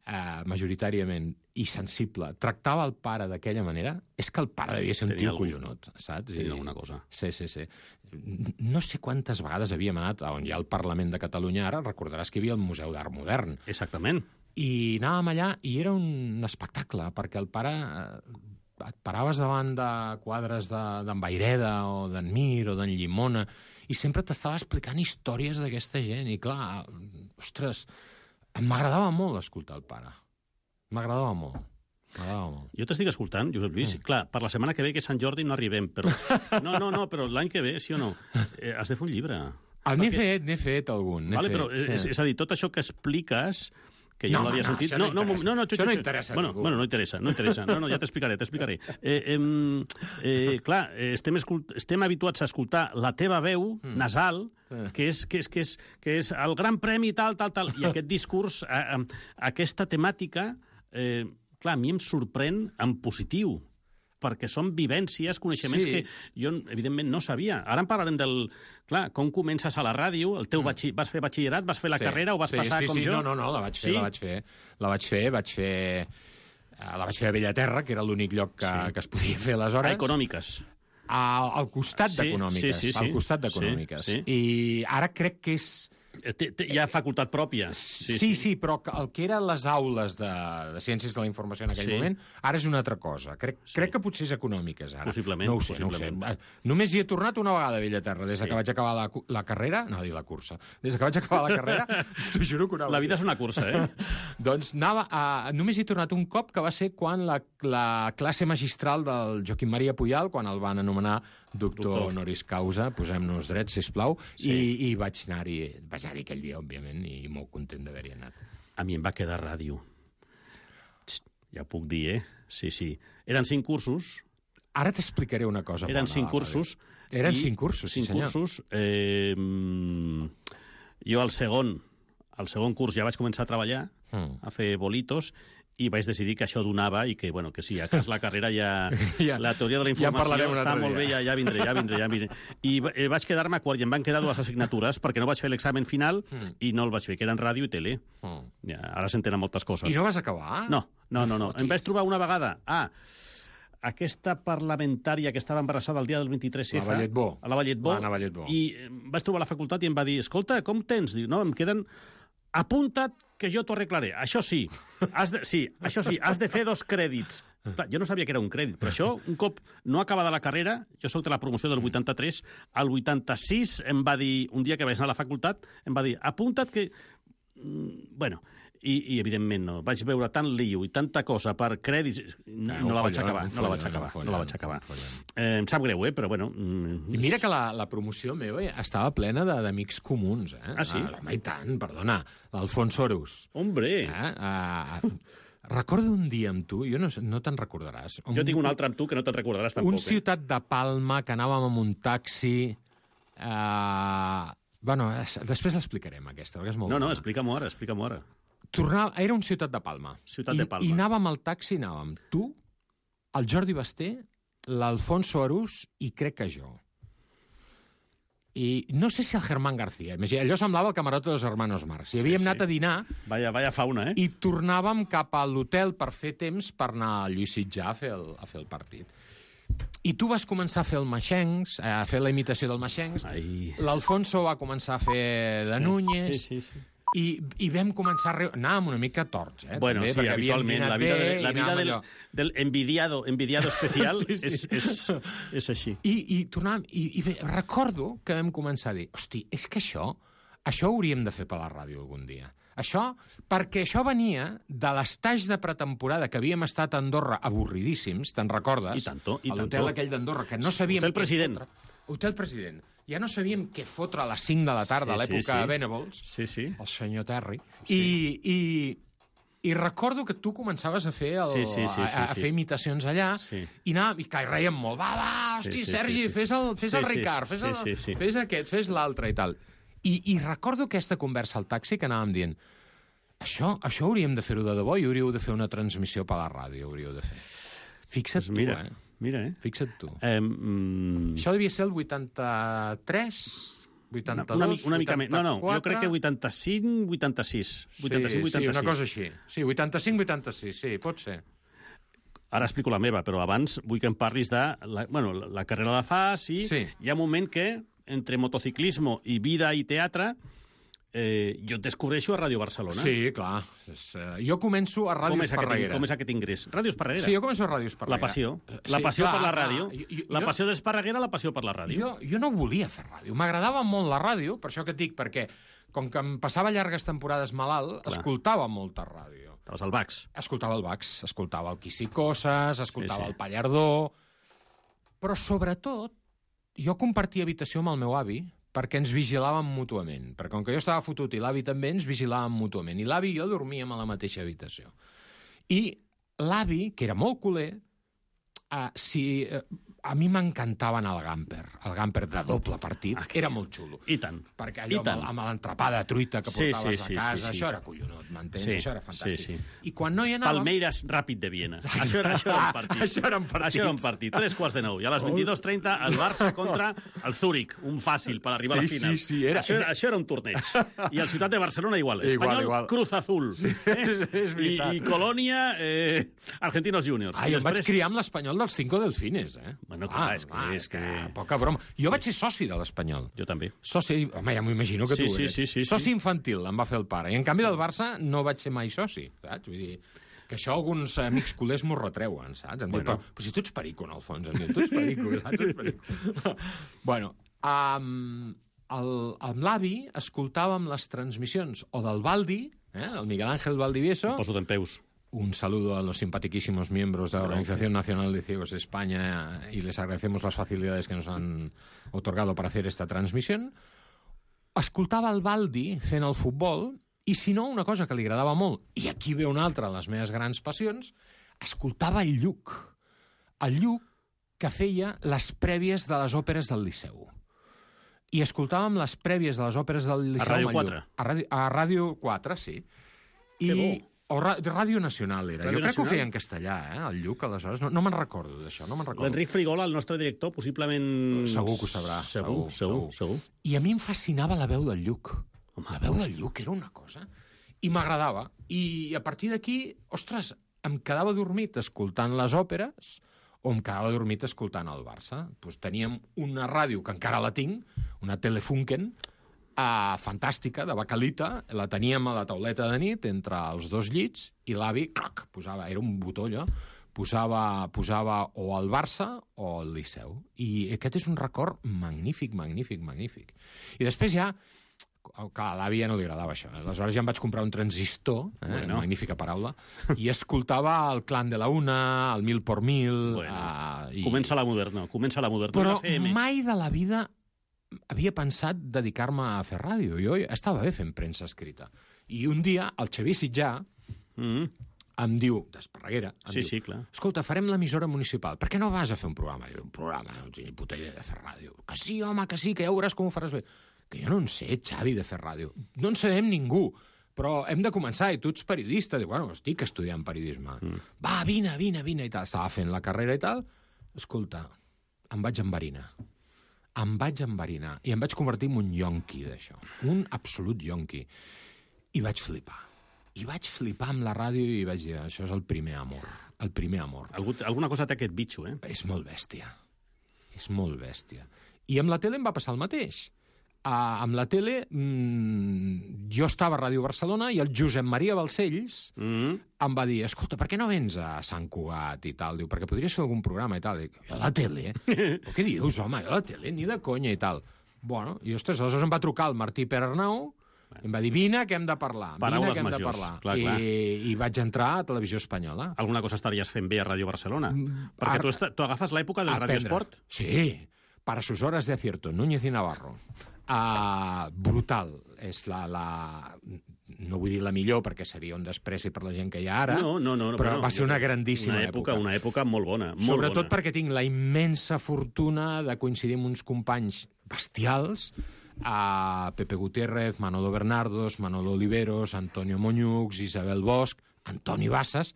eh, majoritàriament, i sensible, tractava el pare d'aquella manera, és que el pare devia ser un Tenia tio algun- collonut, saps? Tenia alguna cosa. Sí, sí, sí. No sé quantes vegades havíem anat a on hi ha el Parlament de Catalunya ara, recordaràs que hi havia el Museu d'Art Modern. Exactament. I anàvem allà i era un espectacle, perquè el pare... Eh, et paraves davant de quadres d'en de, Vayreda o d'en Mir o d'en Llimona i sempre t'estava explicant històries d'aquesta gent. I clar, ostres, m'agradava molt escoltar el pare. M'agradava molt. M'agradava molt. Jo t'estic escoltant, Josep Lluís. Mm. Clar, per la setmana que ve, que és Sant Jordi, no arribem, però... No, no, no, però l'any que ve, sí o no, eh, has de fer un llibre. El n'he fet, n'he fet algun. Vale, fet, però, sí. és, és a dir, tot això que expliques que jo No, no l'havia no, sentit... això no interessa. no, no, Això no interessa a bueno, ningú. bueno, no interessa, no interessa. No, no, ja t'explicaré, t'explicaré. Eh, eh, eh, clar, eh, estem, escult... estem habituats a escoltar la teva veu mm. nasal, Eh. que és, que, és, que, és, que és el gran premi tal, tal, tal, i aquest discurs, eh, eh, aquesta temàtica, eh, clar, a mi em sorprèn en positiu, perquè són vivències, coneixements Sí. que jo, evidentment, no sabia. Ara en parlarem del... Clar, com comences a la ràdio, el teu batxi... vas fer batxillerat, vas fer la Sí. carrera o vas sí, passar sí, com sí, jo? No, no, no, la vaig fer, Sí? la vaig fer. La vaig fer, vaig fer... eh, La vaig fer a Bellaterra, que era l'únic lloc que, Sí. que es podia fer aleshores. A econòmiques. Al, al costat Sí, d'econòmiques. sí, sí, sí. Al costat d'econòmiques. Sí, sí. I ara crec que és... Té, té, hi ha facultat pròpia. Sí, sí, sí, però que- el que eren les aules de, de Ciències de la Informació en aquell Sí. moment, ara és una altra cosa. Crec, sí. crec que potser és econòmiques, ara. Possiblement, No ho sé, no ho sé. possiblement. Eh, Només hi he tornat una vegada a Bellaterra, des de Sí. que vaig acabar la, cu- la carrera... No, dir la cursa. Des de que vaig acabar la carrera, t'ho juro que una La vida és una cursa, eh? Doncs anava a... només hi he tornat un cop, que va ser quan la, la classe magistral del Joaquim Maria Puyal, quan el van anomenar doctor, Doctor. honoris causa, posem-nos drets, sisplau, Sí. i, i vaig anar-hi vaig anar aquell dia, òbviament, i molt content d'haver-hi anat. A mi em va quedar ràdio. Txt, ja ho puc dir, eh? Sí, sí. Eren cinc cursos. Ara t'explicaré una cosa Eren bona. cinc de la cursos. ràdio. Eren i cinc cursos, sí cinc senyor. cursos. Eh, mm, jo al segon, al segon curs ja vaig començar a treballar, Mm. a fer bolitos, i vaig decidir que això donava i que, bueno, que sí, a cas la carrera ja... Ja- la teoria de la ja en informació parlarem un està altre molt bé, dia. ja, ja vindré, ja vindré, ja vindré. I va- eh, vaig quedar-me a quart i em van quedar dues assignatures perquè no vaig fer l'examen final Mm. i no el vaig fer, que eren ràdio i tele. Mm. Ja, ara s'entenen moltes coses. I no vas acabar? No, no, no, no. fotis. Em vaig trobar una vegada... Ah, aquesta parlamentària que estava embarassada el dia del vint-i-tres F. La Valletbó. A la Valletbó. L'Anna Valletbó. I em vaig trobar a la facultat i em va dir, escolta, com tens? Dic, no, em queden... Apunta't que jo t'ho arreglaré. Això sí, has de, sí, això sí, has de fer dos crèdits. Clar, jo no sabia que era un crèdit, però això, un cop no acabada la carrera, jo soc de la promoció del vuitanta-tres, al vuitanta-sis em va dir, un dia que vaig anar a la facultat, em va dir, apunta't que... Mm, Bueno, i, i evidentment no. Vaig veure tant lío i tanta cosa per crèdits... No, un no la vaig follon, acabar, un no la vaig follon, acabar, un follon, no la vaig acabar. un follon. Eh, em sap greu, eh? Però bueno... Mm, I mira que la, la promoció meva estava plena de- d'amics comuns, eh? Ah, sí? home, i tant, perdona. L'Alfonso Arús. Hombre! Eh? Uh, recordo un dia amb tu, jo no, sé- no te'n recordaràs. Jo tinc un altre amb tu que no te'n recordaràs tampoc. Un Ciutat de Palma, que anàvem amb un taxi... Uh, bueno, es- després l'explicarem, aquesta, perquè és eh? molt No, no, bona. explica-m'ho ara, explica-m'ho ara. Tornava, era un Ciutat de Palma. Ciutat I, de Palma. I anàvem al taxi, anàvem tu, el Jordi Basté, l'Alfonso Arús i crec que jo. I no sé si el Germán García. Imagina, allò semblava el camarote dels hermanos Marx. I havíem sí. anat a dinar Vaya, vaya fauna, eh? i tornàvem cap a l'hotel per fer temps per anar a Lluís Sitjà a fer el, a fer el partit. I tu vas començar a fer el Maxencs, a fer la imitació del Maxencs, Ai. l'Alfonso va començar a fer de Núñez, Sí, sí, sí. i, i vam començar a riure. Anàvem una mica torts, eh? Bueno, també, sí, perquè havíem habitualment. dinat La vida, bé de, la i vida anàvem del, allò. del envidiado, envidiado especial Sí, sí. És, és, és així. I, i tornàvem, i, i bé, recordo que vam començar a dir, hosti, és que això, això ho hauríem de fer per la ràdio algun dia. Això, perquè això venia de l'estage de pretemporada que havíem estat a Andorra avorridíssims, te'n recordes? I tanto, i a l'hotel tanto. aquell d'Andorra, que no sabíem... Hotel què President. fotre. Hotel President. Ja no sabíem què fotre a les cinc de la tarda, a Sí, sí, l'època sí. Venables, Sí, sí. el senyor Terry, Sí. i, i, i recordo que tu començaves a fer, el, Sí, sí, sí, sí, a, a sí. fer imitacions allà, Sí. i anàvem, i que reiem molt, va, va, hosti, Sí, sí, Sergi, sí, sí. fes el, fes Sí, el sí, Ricard, fes, sí, el, sí, sí. fes aquest, fes l'altre i tal. I, I recordo aquesta conversa al taxi que anàvem dient, això, això hauríem de fer-ho de debò i hauríeu de fer una transmissió per la ràdio, hauríeu de fer. Fixa't Pues mira, tu, eh? mira, eh? Fixa't tu. Eh, mm, Això devia ser el vuitanta-tres, vuitanta-dos, una, una, una mica més. No, no, jo vuitanta-quatre... crec que vuitanta-cinc, vuitanta-sis. vuitanta-cinc, vuitanta-sis. Sí, una cosa així. Sí, vuitanta-cinc, vuitanta-sis, sí, pot ser. Ara explico la meva, però abans vull que em parlis de... La, bueno, la, la carrera la fas i sí. Hi ha un moment que, entre motociclismo i vida i teatre, eh, jo et descobreixo a Ràdio Barcelona. Sí, clar. És, uh, jo començo a Ràdio Esparreguera. Com és aquest ingrés? Ràdio Esparreguera. Sí, jo començo a Ràdio Esparreguera. La passió. La sí, passió clar, per la clar. ràdio. Jo, la jo, passió d'Esparreguera, la passió per la ràdio. Jo, jo no volia fer ràdio. M'agradava molt la ràdio, per això que et dic, perquè com que em passava llargues temporades malalt, clar. Escoltava molta ràdio. Estaves al Bax. Escoltava el Bax, escoltava el Quisicoses, escoltava sí, sí. el Pallardó... Però, sobretot, jo compartia habitació amb el meu avi perquè ens vigilàvem mútuament. Perquè com que jo estava fotut i l'avi també, ens vigilàvem mútuament. I l'avi i jo dormíem a la mateixa habitació. I l'avi, que era molt culer, uh, si, uh, a mi m'encantava anar al Gamper. El Gamper de doble partit. Okay. Era molt xulo. I tant. Perquè allò amb, amb l'entrepà de truita que sí, portaves sí, sí, a casa, sí, sí. això era collonut, m'entens? Sí, això era fantàstic. Sí, sí. I quan no hi anàvem... Palmeiras Ràpid de Viena. Això era, això era un partit. això era un partit. Això era un partit. Tres quarts de nou. I a les vint-i-dos trenta el Barça contra el Zúrich. Un fàcil per arribar sí, a la final. Sí, sí, era... Això, era, això era un torneig. I el Ciutat de Barcelona igual. Espanyol, igual, igual. Cruz Azul. Sí, eh? és I, I Colònia, eh, Argentinos Juniors. Ah, jo després... vaig criar amb l'Espanyol dels Cinco Delfines, eh? Bueno, clar, ah, és que... Ah, és que... Poca broma. Jo vaig ser soci de l'Espanyol. Jo també. Soci, home, ja m'ho imagino que sí, tu sí, eres. Sí, sí, soci sí. infantil em va fer el pare. I en canvi del Barça no vaig ser mai soci, saps? Vull dir, que això alguns amics culers m'ho retreuen, saps? Em bueno. diuen, però, però si tu ets perico, en el fons, em diuen, tu ets perico, saps? Tu ets perico. bueno, um, el, amb l'avi escoltàvem les transmissions o del Baldi, eh, el Miguel Ángel Valdivieso... Em poso d'en peus. Un saludo a los simpaticísimos miembros de la Organización Nacional de Ciegos de España y les agradecemos las facilidades que nos han otorgado para hacer esta transmisión. Escoltava el Baldi fent el futbol i, si no, una cosa que li agradava molt, i aquí ve una altra de les meves grans passions, escoltava el Lluc. El Lluc que feia les prèvies de les òperes del Liceu. I escoltàvem les prèvies de les òperes del Liceu. A Ràdio quatre. A Ràdio, a Ràdio quatre, sí. I... Que bo. O Ràdio Nacional era. Ràdio jo crec Nacional? Que ho feia en castellà, eh, el Lluc, aleshores. No, no me'n recordo d'això, no me'n recordo. L'Enric Frigola, el nostre director, possiblement... Segur que ho sabrà. Segur, segur, segur. segur. I a mi em fascinava la veu del Lluc. Home, la veu del Lluc era una cosa... I m'agradava. I a partir d'aquí, ostres, em quedava dormit escoltant les òperes o em quedava dormit escoltant el Barça. Pues teníem una ràdio, que encara la tinc, una Telefunken, Uh, fantàstica, de bacalita, la teníem a la tauleta de nit entre els dos llits i l'avi, clac, posava, era un botó allò, posava, posava o el Barça o el Liceu. I aquest és un record magnífic, magnífic, magnífic. I després ja, clar, a l'avi ja no li agradava això. Aleshores ja em vaig comprar un transistor, eh, bueno. Magnífica paraula, i escoltava el Clan de la Una, el Mil por Mil... Bueno, uh, i... Comença la moderna, comença la moderna. Però mai de la vida havia pensat dedicar-me a fer ràdio. Jo estava bé fent premsa escrita. I un dia el Xavier Sitjà mm. em diu, d'Esparreguera, em sí, diu, sí, clar. escolta, farem l'emissora municipal. Per què no vas a fer un programa? Jo, un programa? No tinc ni puta idea de fer ràdio. Que sí, home, que sí, que ja veuràs com ho faràs bé. Que jo no en sé, Xavi, de fer ràdio. No en sabem ningú. Però hem de començar, i tu ets periodista. Dic, bueno, estic estudiant periodisme. Mm. Va, vine, vine, vine, i tal. Estava fent la carrera i tal. Escolta, em vaig enverinar. Em vaig enverinar i em vaig convertir en un yonqui d'això. Un absolut yonqui. I vaig flipar. I vaig flipar amb la ràdio i vaig dir, això és el primer amor. El primer amor. Algú, alguna cosa té aquest bitxo, eh? És molt bèstia. És molt bèstia. I amb la tele em va passar el mateix. Uh, amb la tele, mmm, jo estava a Ràdio Barcelona i el Josep Maria Balcells mm. em va dir, escolta, per què no vens a Sant Cugat i tal? Diu, perquè podries fer algun programa i tal. Dic, jo a la tele? Però què dius, home? Jo a la tele? Ni de conya i tal. Bueno, i ostres, aleshores em va trucar el Martí Perarnau i em va dir, vine, que hem de parlar. Paraules vine, que hem majors. de parlar. Clar, clar. I, I vaig entrar a Televisió Espanyola. Alguna cosa estaries fent bé a Ràdio Barcelona. Mm, perquè ar... tu, est... tu agafes l'època del Radiosport. Sí, para sus horas de acierto, Núñez i Navarro. Uh, brutal. És la, la... No vull dir la millor, perquè seria un despreci per la gent que hi ha ara, no, no, no, però no, va ser una grandíssima una època, època. Una època molt bona. Molt Sobretot bona. perquè tinc la immensa fortuna de coincidir amb uns companys bestials, a Pepe Gutiérrez, Manolo Bernardos, Manolo Oliveros, Antonio Moñux, Isabel Bosch, Antoni Bassas,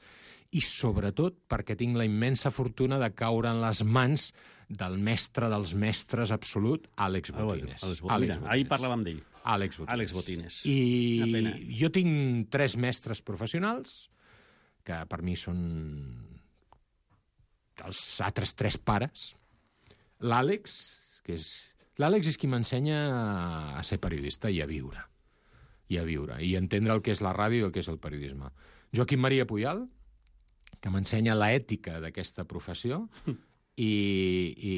i sobretot perquè tinc la immensa fortuna de caure en les mans del mestre dels mestres absolut, Àlex Botines. Ah, Àlex Botines. Mira, ahir parlàvem d'ell. Àlex Botines. Àlex Botines. I jo tinc tres mestres professionals, que per mi són els altres tres pares. L'Àlex, que és... L'Àlex és qui m'ensenya a ser periodista i a viure. I a viure. I entendre el que és la ràdio i el que és el periodisme. Joaquim Maria Puyal, que m'ensenya l'ètica d'aquesta professió i, i,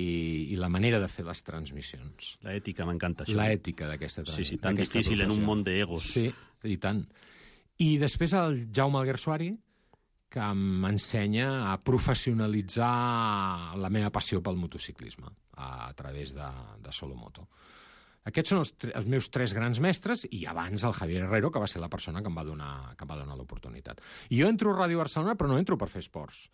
i la manera de fer les transmissions. L'ètica, m'encanta això. L'ètica d'aquesta transmissió. Sí, sí, tan difícil en un món d'egos. Sí, i tant. I després el Jaume Alguersuari, que m'ensenya a professionalitzar la meva passió pel motociclisme a, a través de, de Solomoto. Aquests són els, els meus tres grans mestres i abans el Javier Herrero, que va ser la persona que em va donar, que em va donar l'oportunitat. I jo entro a Ràdio Barcelona, però no entro per fer esports.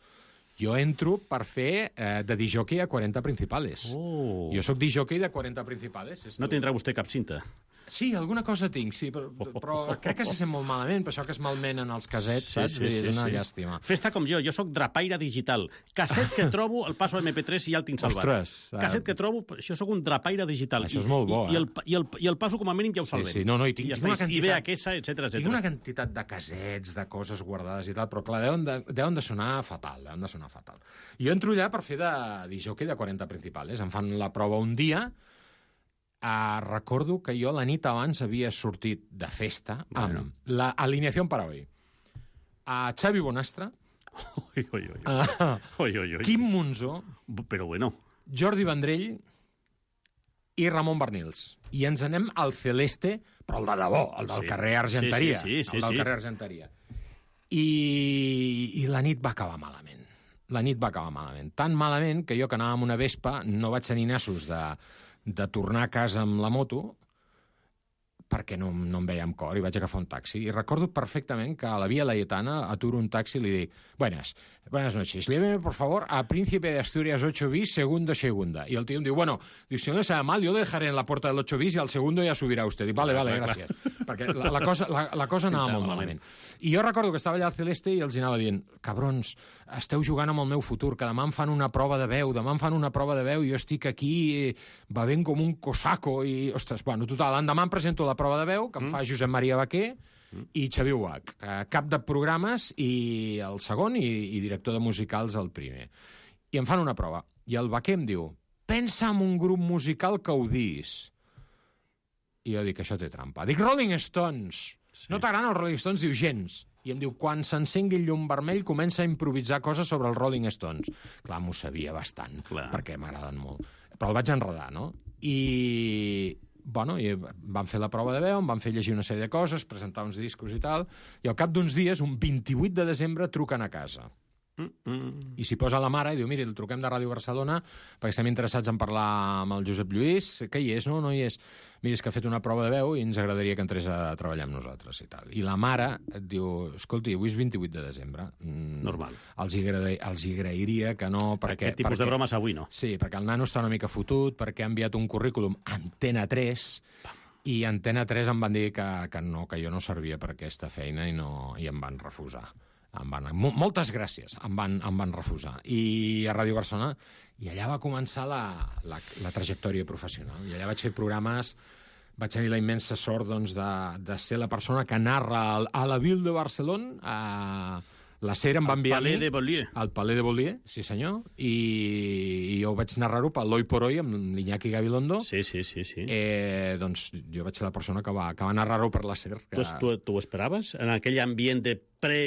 Jo entro per fer eh, de disjockey a quaranta Principales. Oh. Jo sóc disjockey de quaranta Principales. No tindrà vostè cap cinta? Sí, alguna cosa tinc, sí, però, però crec que se sent molt malament, per això que es malmenen els casets, sí, saps? Sí, sí, és una sí. llàstima. Fes-te com jo, jo sóc drapaire digital. Casset que trobo, el passo a eme pe tres i ja el tinc salvat. Ostres! Casset que trobo, això sóc un drapaire digital. Això és molt bo, I, eh? I el, i, el, I el passo com a mínim ja ho salvem. Sí, sí, no, no, i tinc, I, tinc una quantitat... I ve a quesa, etcètera, etcètera. Tinc una quantitat de casets, de coses guardades i tal, però clar, deuen de, deuen de sonar fatal, deuen de sonar fatal. Jo entro allà per fer de disjockey de quaranta Principales. Em fan la prova un dia. Uh, recordo que jo la nit abans havia sortit de festa bueno. amb l'alineació per avui. Uh, Xavi Bonastre, oi, oi, oi. Uh, oi, oi, oi. Quim Monzó, però bueno. Jordi Vendrell i Ramon Bernils. I ens anem al Celeste, però el de debò, el del sí. carrer Argenteria. Sí, sí, sí, sí, el del sí. carrer Argenteria. I, I la nit va acabar malament. La nit va acabar malament. Tan malament que jo, que anava amb una Vespa, no vaig tenir nassos de... de tornar a casa amb la moto perquè no, no em veia amb cor i vaig agafar un taxi. I recordo perfectament que a la Via Laietana aturo un taxi i li dic buenas, buenas noches, lléveme por favor a Príncipe de Asturias ocho bis, segundo, segunda. I el tío em diu, bueno, diu, si no le sabe mal, yo le dejaré en la puerta del ocho bis y al segundo ya subirá usted. Dic, vale, vale, gràcies. Perquè la, la, cosa, la, la cosa anava molt malament. I jo recordo que estava allà al Celeste i els anava dient, cabrons, esteu jugant amb el meu futur, que demà em fan una prova de veu, demà em fan una prova de veu i jo estic aquí bevent com un cosaco i, ostres, bueno, total, l'endemà em presento la prova de veu, que em mm. fa Josep Maria Baquer mm. i Xavier Uach, eh, cap de programes i el segon i, i director de musicals el primer. I em fan una prova. I el Baquer em diu, pensa en un grup musical que ho dis. I jo dic, això té trampa. Dic, Rolling Stones. Sí. No t'agraden els Rolling Stones? Diu, gens. I em diu, quan s'encengui el llum vermell comença a improvisar coses sobre els Rolling Stones. Clar, m'ho sabia bastant, Clar. perquè m'agraden molt. Però el vaig enredar, no? I... Bueno, i van fer la prova de veu, em van fer llegir una sèrie de coses, presentar uns discos i tal, i al cap d'uns dies, un vint-i-vuit de desembre, truquen a casa. Mm-mm. I s'hi posa la mare i diu, miri, el truquem de Ràdio Barcelona perquè estem interessats en parlar amb el Josep Lluís, que hi és, no? No hi és. Mira, és que ha fet una prova de veu i ens agradaria que entrés a treballar amb nosaltres i tal. I la mare et diu, escolti, avui és vint-i-vuit de desembre. Mm, Normal. Els hi, agrada, els hi agrairia que no... Perquè, Aquest tipus perquè, de bromes avui no. Sí, perquè el nano està una mica fotut, perquè ha enviat un currículum a Antena tres i a Antena tres em van dir que, que no, que jo no servia per aquesta feina i, no, i em van refusar. Em van, moltes gràcies, em van, em van refusar. I a Ràdio Barcelona, i allà va començar la, la, la trajectòria professional. I allà vaig fer programes, vaig tenir la immensa sort doncs, de, de ser la persona que narra el, a la Ville de Barcelona, a la SER em va enviar al Palais de Beaulieu. Al Palais de Beaulieu, sí senyor, i, i jo vaig narrar-ho pel L'Hoy por Hoy amb l'Iñaki Gabilondo. Sí, sí, sí. sí. Eh, doncs jo vaig ser la persona que va, que va narrar-ho per la SER. Que... Tu, tu ho esperaves? En aquell ambient de pre,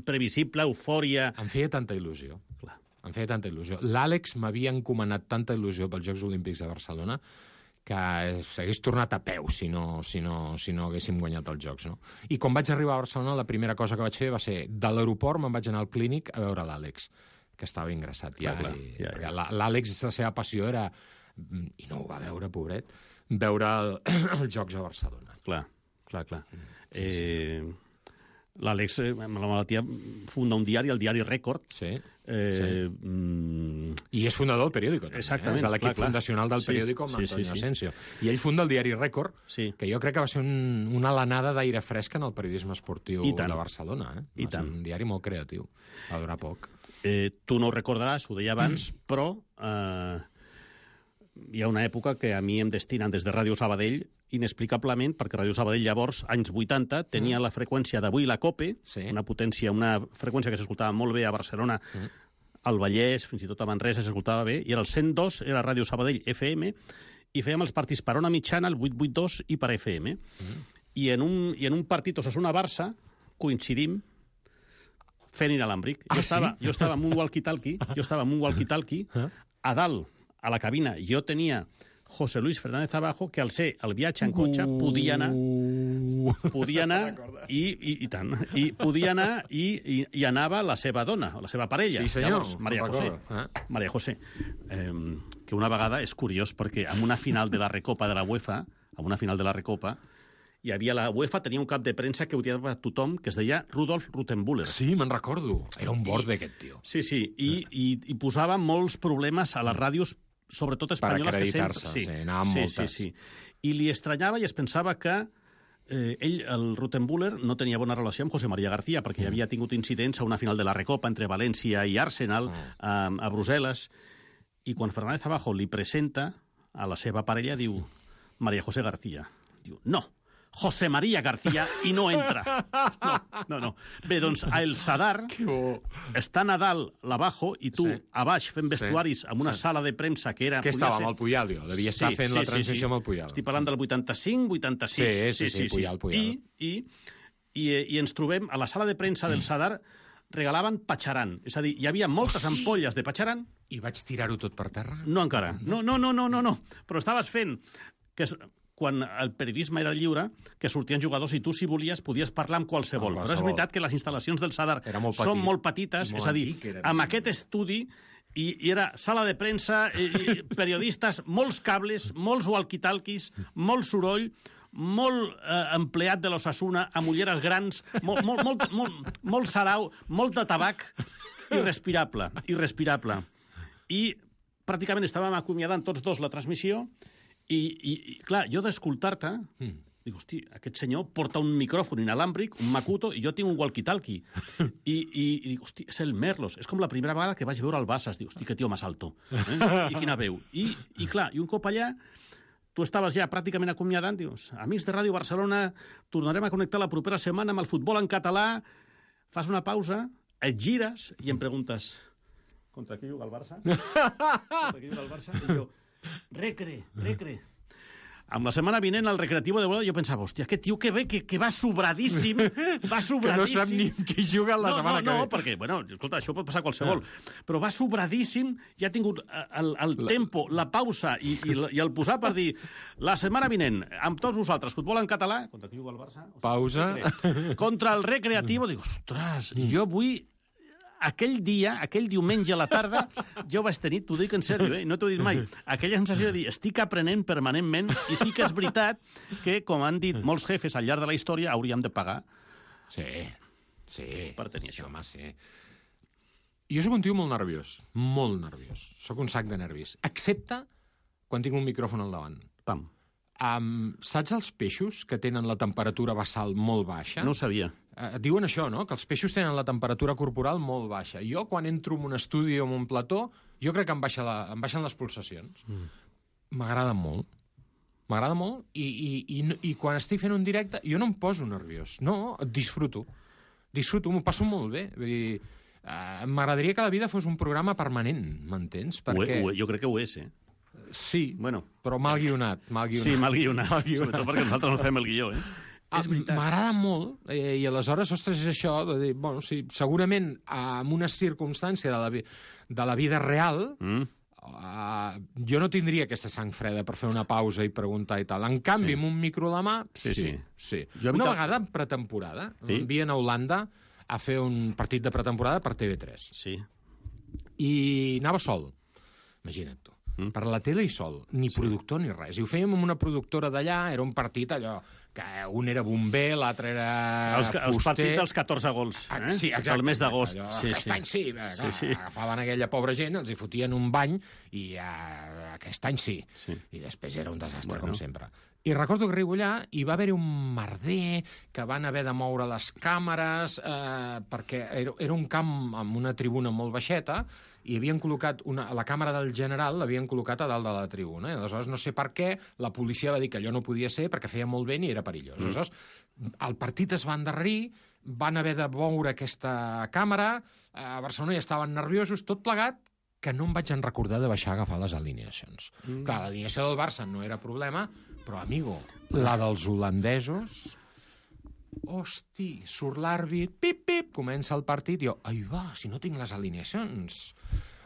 previsible, eufòria... Em feia tanta il·lusió. Clar. Em feia tanta il·lusió. L'Àlex m'havia encomanat tanta il·lusió pels Jocs Olímpics de Barcelona que s'hagués tornat a peu si no, si, no, si no haguéssim guanyat els Jocs. No? I quan vaig arribar a Barcelona, la primera cosa que vaig fer va ser, de l'aeroport me'n vaig anar al clínic a veure l'Àlex, que estava ingressat ja. Clar, i, ja, ja. L'Àlex, la seva passió era, i no ho va veure, pobret, veure el, els Jocs a Barcelona. Clar, clar, clar. Sí, eh... sí. L'Àlex, amb la malaltia, funda un diari, el diari Rècord. Sí, eh, sí. Mm... I és fundador del periòdico. També, Exactament. Eh? És de l'equip clar, fundacional del sí, periòdico amb sí, Antonio sí, sí. Asensio. I ell funda el diari Rècord, sí. que jo crec que va ser un, una alenada d'aire fresc en el periodisme esportiu de Barcelona. Eh? I va tant. ser un diari molt creatiu. Va durar poc. Eh, tu no ho recordaràs, ho deia abans, mm. però... Eh, hi ha una època que a mi em destinen des de Ràdio Sabadell, inexplicablement, perquè Ràdio Sabadell llavors, anys vuitanta, tenia mm. la freqüència d'Avui la Cope, sí. una potència, una freqüència que s'escoltava molt bé a Barcelona, mm. al Vallès, fins i tot a Manresa s'escoltava bé, i era el cent dos, era Ràdio Sabadell F M, i fèiem els partits per ona mitjana, el vuit vuit dos, i per F M. Mm. I, en un, I en un partit Osasuna-Barça coincidim fent inalàmbric. Ah, jo, estava, sí? jo estava amb un walkie-talkie, jo estava amb un walkie-talkie, a dalt, a la cabina, jo tenia José Luis Fernández Abajo, que al ser el viatge en cotxe podia anar podia anar i, i, i tant, i podia anar i, i, i anava la seva dona, la seva parella. Sí, senyor. Llavors, Maria José. Eh? Maria José. Eh, que una vegada és curiós perquè en una final de la Recopa de la UEFA, en una final de la Recopa, hi havia la UEFA, tenia un cap de premsa que odiava tothom, que es deia Rudolf Ruttenbuller. Sí, me'n recordo. Era un borde, aquest tio. Sí, sí, i, i, i posava molts problemes a les ràdios, sobretot espanyoles. Per acreditar-se, sí, sí, anaven sí, moltes. Sí, sí. I li estranyava i es pensava que eh, ell, el Ruttenbuller, no tenia bona relació amb José María García, perquè mm. havia tingut incidents a una final de la Recopa entre València i Arsenal, mm. a, a Brussel·les, i quan Fernández Abajo li presenta a la seva parella, diu María José García. Diu, no, José María García, i no entra. No, no, no. Bé, doncs, a El Sadar està Nadal l'Abajo i tu sí. a baix fent vestuaris sí. en una sí. sala de premsa que era... Que estava amb el Puyalio, devia sí, estar fent sí, la transmissió sí, sí. amb el Puyalio. Estic parlant del vuitanta-cinc, vuitanta-sis. Sí, sí, sí, sí, sí. Puyal, Puyal. I, i, i, I ens trobem a la sala de premsa del Sadar, regalaven patxaran. És a dir, hi havia moltes oh, sí. ampolles de patxaran. I vaig tirar-ho tot per terra? No encara. No, no, no, no, no, no. Però estaves fent... que quan el periodisme era lliure, que sortien jugadors i tu, si volies, podies parlar amb qualsevol. Però és veritat que les instal·lacions del Sadar molt són molt petites, molt és a dir, antic, amb aquest estudi, i, i era sala de premsa, i, i periodistes, molts cables, molts walkie-talkies, molt soroll, molt eh, empleat de l'Osasuna, amb ulleres grans, molt, molt, molt, molt, molt sarau, molt de tabac, irrespirable, irrespirable. I pràcticament estàvem acomiadant tots dos la transmissió. I, i, i clar, jo d'escoltar-te, mm. dic, hosti, aquest senyor porta un micròfon inalàmbric, un Makuto, i jo tinc un walkie-talkie. I, i, I dic, hosti, és el Merlos. És com la primera vegada que vaig veure el Bassas. Dic, hosti, que tio més alto. Eh? I quina veu. I, I clar, i un cop allà, tu estaves ja pràcticament acomiadant, dius, amics de Ràdio Barcelona, tornarem a connectar la propera setmana amb el futbol en català, fas una pausa, et gires i em preguntes, contra qui juga el Barça? Contra qui juga el Barça? I jo, Recre, recre. Amb la setmana vinent al Recreativo de Bola jo pensava, hòstia, aquest tio que ve, que, que va sobradíssim, va sobradíssim. Que no sap ni qui juga la no, setmana no, que ve. No, perquè, bueno, escolta, això pot passar qualsevol, ah. però va sobradíssim, ja ha tingut el, el la... tempo, la pausa i, i, i el posar per dir, la setmana vinent, amb tots vosaltres, futbol en català, contra qui juga el Barça? Ostres, pausa. Recre. Contra el Recreativo, dic, ostres, jo vull... Aquell dia, aquell diumenge a la tarda, jo vaig tenir, t'ho dic en sèrio, eh? No t'ho he dit mai, aquella sensació de dir, estic aprenent permanentment, i sí que és veritat que, com han dit molts jefes al llarg de la història, hauríem de pagar. Sí, sí. Per tenir això. Home, sí. Jo sóc un tio molt nerviós, molt nerviós. Sóc un sac de nervis. Excepte quan tinc un micròfon al davant. Pam. Um, saps els peixos que tenen la temperatura basal molt baixa? No ho sabia. Uh, diuen això, no?, que els peixos tenen la temperatura corporal molt baixa. Jo, quan entro en un estudi o en un plató, jo crec que em, baixa la, em baixen les pulsacions. M'agrada mm. molt. M'agrada molt i, i, i, i quan estic fent un directe jo no em poso nerviós. No, disfruto. Disfruto, m'ho passo molt bé. Vull dir, uh, m'agradaria que la vida fos un programa permanent, m'entens? Perquè... Ho, ho, jo crec que ho és, eh? Sí, bueno, però mal guionat. Mal guionat. Sí, mal guionat. Mal guionat. Sobretot perquè nosaltres no fem el guió, eh? Ah, m'agrada molt, eh, i aleshores, ostres, és això, de dir, bueno, sí, segurament en una circumstància de la, vi de la vida real, mm. uh, jo no tindria aquesta sang freda per fer una pausa i preguntar i tal. En canvi, sí. amb un micro a la mà, sí, sí. sí. sí. Una vegada en pretemporada, sí? m'envien a Holanda a fer un partit de pretemporada per T V tres. Sí. I anava sol, imagina't tu. Mm. Per la tele i sol, ni sí. productor ni res. I ho fèiem amb una productora d'allà, era un partit allò que un era bomber, l'altre era els, fuster... Els partits dels catorze gols, eh? Ah, sí, exacte. El mes d'agost. Allò, Sí, aquest sí. any sí, clar, Sí, sí. agafaven aquella pobra gent, els hi fotien un bany i uh, aquest any sí. Sí. I després era un desastre, Bueno. com sempre. I recordo que arribo allà i va haver-hi un merder que van haver de moure les càmeres eh, perquè era, era un camp amb una tribuna molt baixeta i havien col·locat una, la càmera del general l'havien col·locat a dalt de la tribuna. I aleshores no sé per què la policia va dir que allò no podia ser perquè feia molt vent i era perillós. Mm. Aleshores, el partit es va endarrerir, van haver de moure aquesta càmera, a Barcelona ja estaven nerviosos, tot plegat, que no em vaig en recordar de baixar a agafar les alineacions. Mm. Clar, l'alineació del Barça no era problema, però, amigo, la dels holandesos... Hosti, surt l'àrbit, pip, pip, comença el partit, i jo, ai va, si no tinc les alineacions.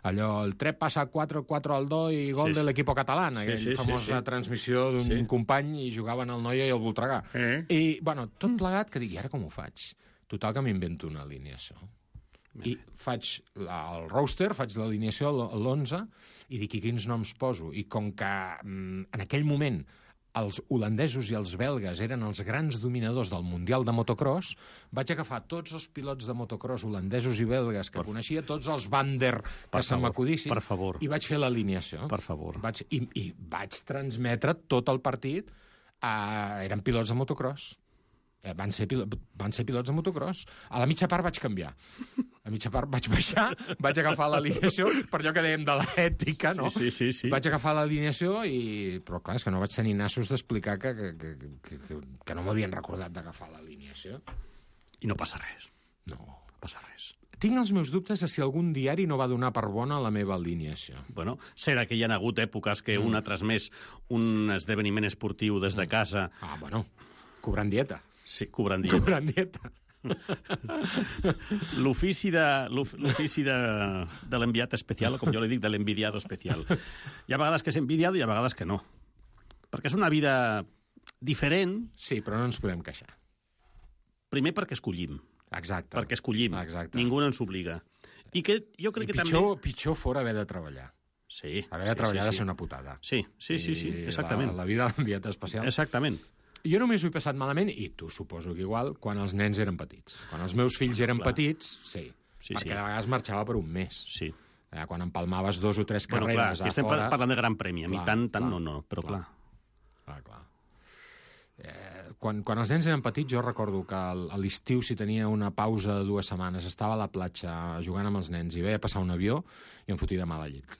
Allò, el tres passa al quatre, quatre al dos i gol Sí, de sí. l'equip català, Sí, aquella sí, sí, famosa sí. transmissió d'un Sí. company i jugaven el Noia i el Voltregà. Eh? I, bueno, tot plegat que dic, i ara com ho faig? Total que m'invento una alineació. I faig la, el roster, faig l'alineació a l'onze i dic, i quins noms poso? I com que mm, en aquell moment els holandesos i els belgues eren els grans dominadors del Mundial de motocross, vaig agafar tots els pilots de motocross holandesos i belgues que per... coneixia, tots els Van der que se m'acudissin, per favor. i vaig fer l'alineació. Per favor. Vaig, i, I vaig transmetre tot el partit. A, eren pilots de motocross. Eh, van, ser pilo, van ser pilots de motocross. A la mitja part vaig canviar. A mitja part vaig baixar, vaig agafar l'alineació, per allò que dèiem de l'ètica, no? Sí, sí, sí, sí. Vaig agafar l'alineació i... Però clar, és que no vaig tenir nassos d'explicar que, que, que, que, que, que no m'havien recordat d'agafar l'alineació. I no passa res. No. No passa res. Tinc els meus dubtes de si algun diari no va donar per bona la meva alineació. Bueno, serà que hi ha hagut èpoques que mm. un ha transmès un esdeveniment esportiu des de casa... Ah, bueno, cobrant dieta. Sí, cobrant dieta. Cobrant dieta. L'ofici de, l'ofici de, de l'enviat especial, o com jo li dic, de l'envidiado especial. Hi ha vegades que és envidiado i hi ha vegades que no. Perquè és una vida diferent. Sí, però no ens podem queixar. Primer perquè escollim. Exacte. Perquè escollim. Exacte. Ningú no ens obliga. I que jo crec I que pitjor, també... pitjor fora haver de treballar. Sí. Haver de sí, treballar sí, ha de sí. ser una putada. Sí, sí, sí, sí, exactament. La, la vida de l'enviat especial. Exactament. Jo només ho he passat malament, i tu suposo que igual, quan els nens eren petits. Quan els meus fills eren Clar. petits, sí. Sí, perquè sí. de vegades marxava per un mes. Sí. Eh, quan empalmaves dos o tres Bueno, clar, carreres aquí estem a fora... parlant de gran premi. A mi Clar, tant, tant, clar, no, no, però clar. Clar, clar. Eh, quan, quan els nens eren petits, jo recordo que al- a l'estiu, si tenia una pausa de dues setmanes, estava a la platja jugant amb els nens i veia passar un avió i em fotia de mala llet.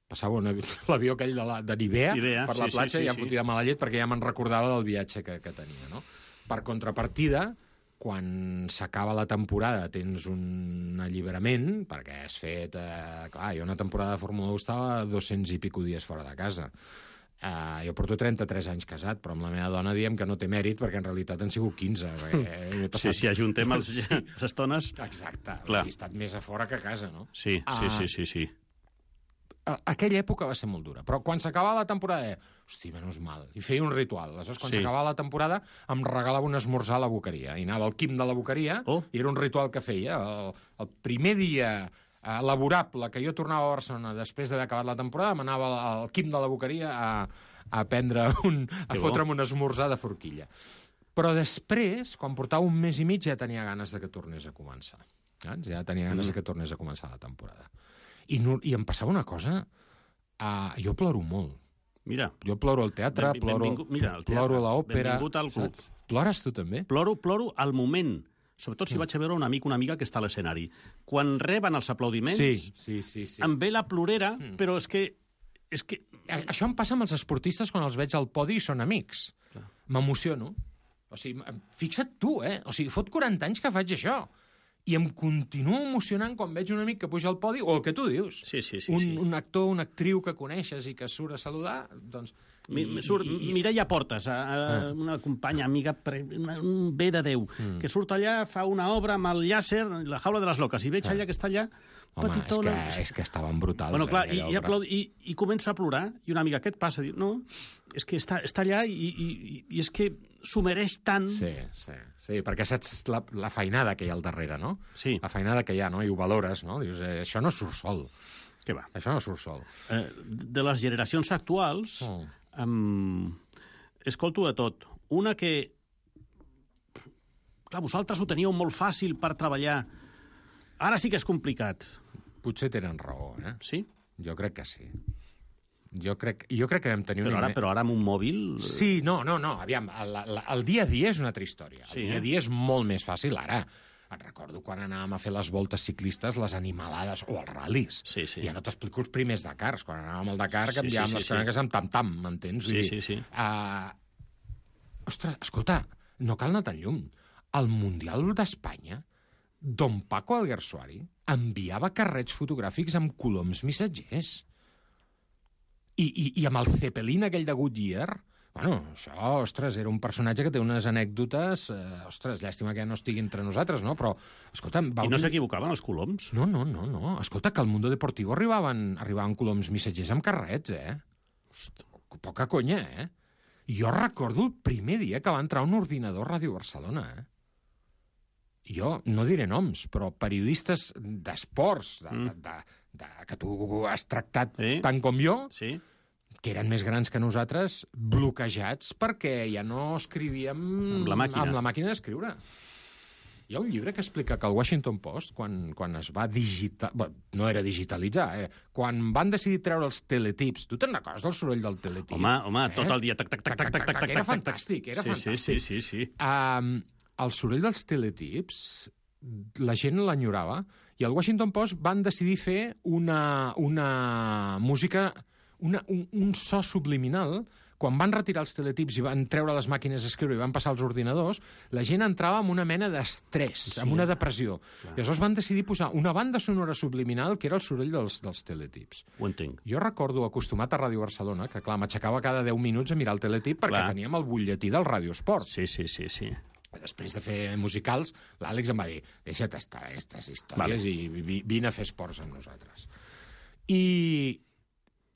Passava un avi... l'avió aquell de, la, de Nivea, Nivea, per la sí, platja sí, sí, i em sí. fotia de mala llet perquè ja me'n recordava del viatge que, que tenia, no? Per contrapartida, quan s'acaba la temporada tens un alliberament, perquè has fet... Eh, clar, jo una temporada de Fórmula u estava dos-cents i pico dies fora de casa. Uh, jo porto trenta-tres anys casat, però amb la meva dona diem que no té mèrit, perquè en realitat han sigut quinze. Perquè passat... Sí, si ajuntem els, Sí. les estones... Exacte, Clar. he estat més a fora que a casa, no? Sí, Ah. sí, sí, sí, sí. A- aquella època va ser molt dura, però quan s'acabava la temporada, deia, hosti, menys mal, i feia un ritual. Aleshores, quan Sí. s'acabava la temporada, em regalava un esmorzar a la boqueria. I anava al quim de la boqueria, Oh. i era un ritual que feia. El, el primer dia eh, laborable que jo tornava a Barcelona després d'haver acabat la temporada, m'anava al, al quim de la boqueria a, a prendre un... a Que bo. fotre'm un esmorzar de forquilla. Però després, quan portava un mes i mig, ja tenia ganes de que tornés a començar. Saps? Ja tenia ganes Mm. de que tornés a començar la temporada. I, no, i em passava una cosa... Uh, jo ploro molt. Mira. Jo ploro al teatre, Benvi- ploro, benvingut- mira, al teatre. ploro a l'òpera... Benvingut al club. saps? Plores tu també? Ploro, ploro al moment. Sobretot si Mm. vaig a veure un amic o una amiga que està a l'escenari. Quan reben els aplaudiments, Sí, sí, sí. sí. em ve la plorera, Mm. però és que... És que... A- Això em passa amb els esportistes quan els veig al podi i són amics. Clar. M'emociono. O sigui, em- fixa't tu, eh? O sigui, fot quaranta anys que faig això. I em continuo emocionant quan veig un amic que puja al podi, o el que tu dius. Sí, sí, sí. un, sí. un actor, una actriu que coneixes i que surt a saludar, doncs... Mi, i- surt i- i- Mireia Portes, a, a, Ah. una companya, amiga, pre, una, un bé de Déu, Mm. que surt allà, fa una obra amb el llàser, la jaula de les loques, i veig Ah. allà que està allà, Home, és petitona... que, és que estaven brutals. Bueno, clar, eh, i, aquella i, obra. aplaud... I, i començo a plorar, i una amiga, què et passa? Diu, no, és que està, està allà i, i, i- i és que s'ho mereix tant... Sí, sí, sí, perquè saps la, la feinada que hi ha al darrere, no? Sí. La feinada que hi ha, no? I ho valores, no? Dius, eh, això no surt sol. Què va? Això no surt sol. Eh, de les generacions actuals, Mm. um, escolto de tot. una que... Clar, vosaltres ho teníeu molt fàcil per treballar. Ara sí que és complicat. Potser tenen raó, eh? Sí? Jo crec que sí. Jo crec, jo crec que vam tenir... Però ara, però ara amb un mòbil... Sí, no, no, no. Aviam, el, el, el dia a dia és una altra història. El Sí, dia eh? a dia és molt més fàcil ara. Et recordo quan anàvem a fer les voltes ciclistes, les animalades, o els ral·lis. Sí, sí. Ja no t'explico els primers Dakars. Quan anàvem al Dakar, Sí, canviàvem sí, sí, les sí. cròniques amb tam-tam, m'entens? Sí, sí, sí. Uh, ostres, escolta, no cal anar tan lluny. Al Mundial d'Espanya, Don Paco Alguersuari enviava carrets fotogràfics amb coloms missatgers. I, i, i amb el Zeppelin aquell de Goodyear... Bueno, això, ostres, era un personatge que té unes anècdotes... Eh, ostres, llàstima que ja no estigui entre nosaltres, no? Però, escolta'm... I no s'equivocaven els coloms? No, no, no, no. Escolta, que al Mundo Deportivo arribaven, arribaven coloms missatgers amb carrets, eh? Host, poca conya, eh? Jo recordo el primer dia que va entrar un ordinador a Ràdio Barcelona, eh? Jo no diré noms, però periodistes d'esports, de, Mm. de, de, de, que tu has tractat Sí. tant com jo, Sí. que eren més grans que nosaltres, bloquejats perquè ja no escrivíem Amb la màquina. amb la màquina d'escriure. Hi ha un llibre que explica que el Washington Post, quan, quan es va digital... Bé, no era digitalitzar, era... quan van decidir treure els teletips... Tu te'n recordes del soroll del teletip? Home, home, tot el dia... Tac, tac, tac, tac, tac, tac, tac, Era tac, fantàstic, era sí, fantàstic. Sí, sí, sí, sí. Um, el soroll dels teletips, la gent l'enyorava, i el Washington Post van decidir fer una, una música, una, un, un so subliminal. Quan van retirar els teletips i van treure les màquines d'escriure i van passar als ordinadors, la gent entrava en una mena d'estrès, Sí. en una depressió. Clar. I aleshores van decidir posar una banda sonora subliminal que era el soroll dels, dels teletips. Ho entenc. Jo recordo, acostumat a Ràdio Barcelona, que clar, m'aixecava cada deu minuts a mirar el teletip perquè Clar. teníem el butlletí del Ràdio Esport. Sí, sí, sí, sí. Després de fer musicals, l'Àlex em va dir deixa't estar aquestes històries Vale. i vi- vine a fer esports amb nosaltres. I,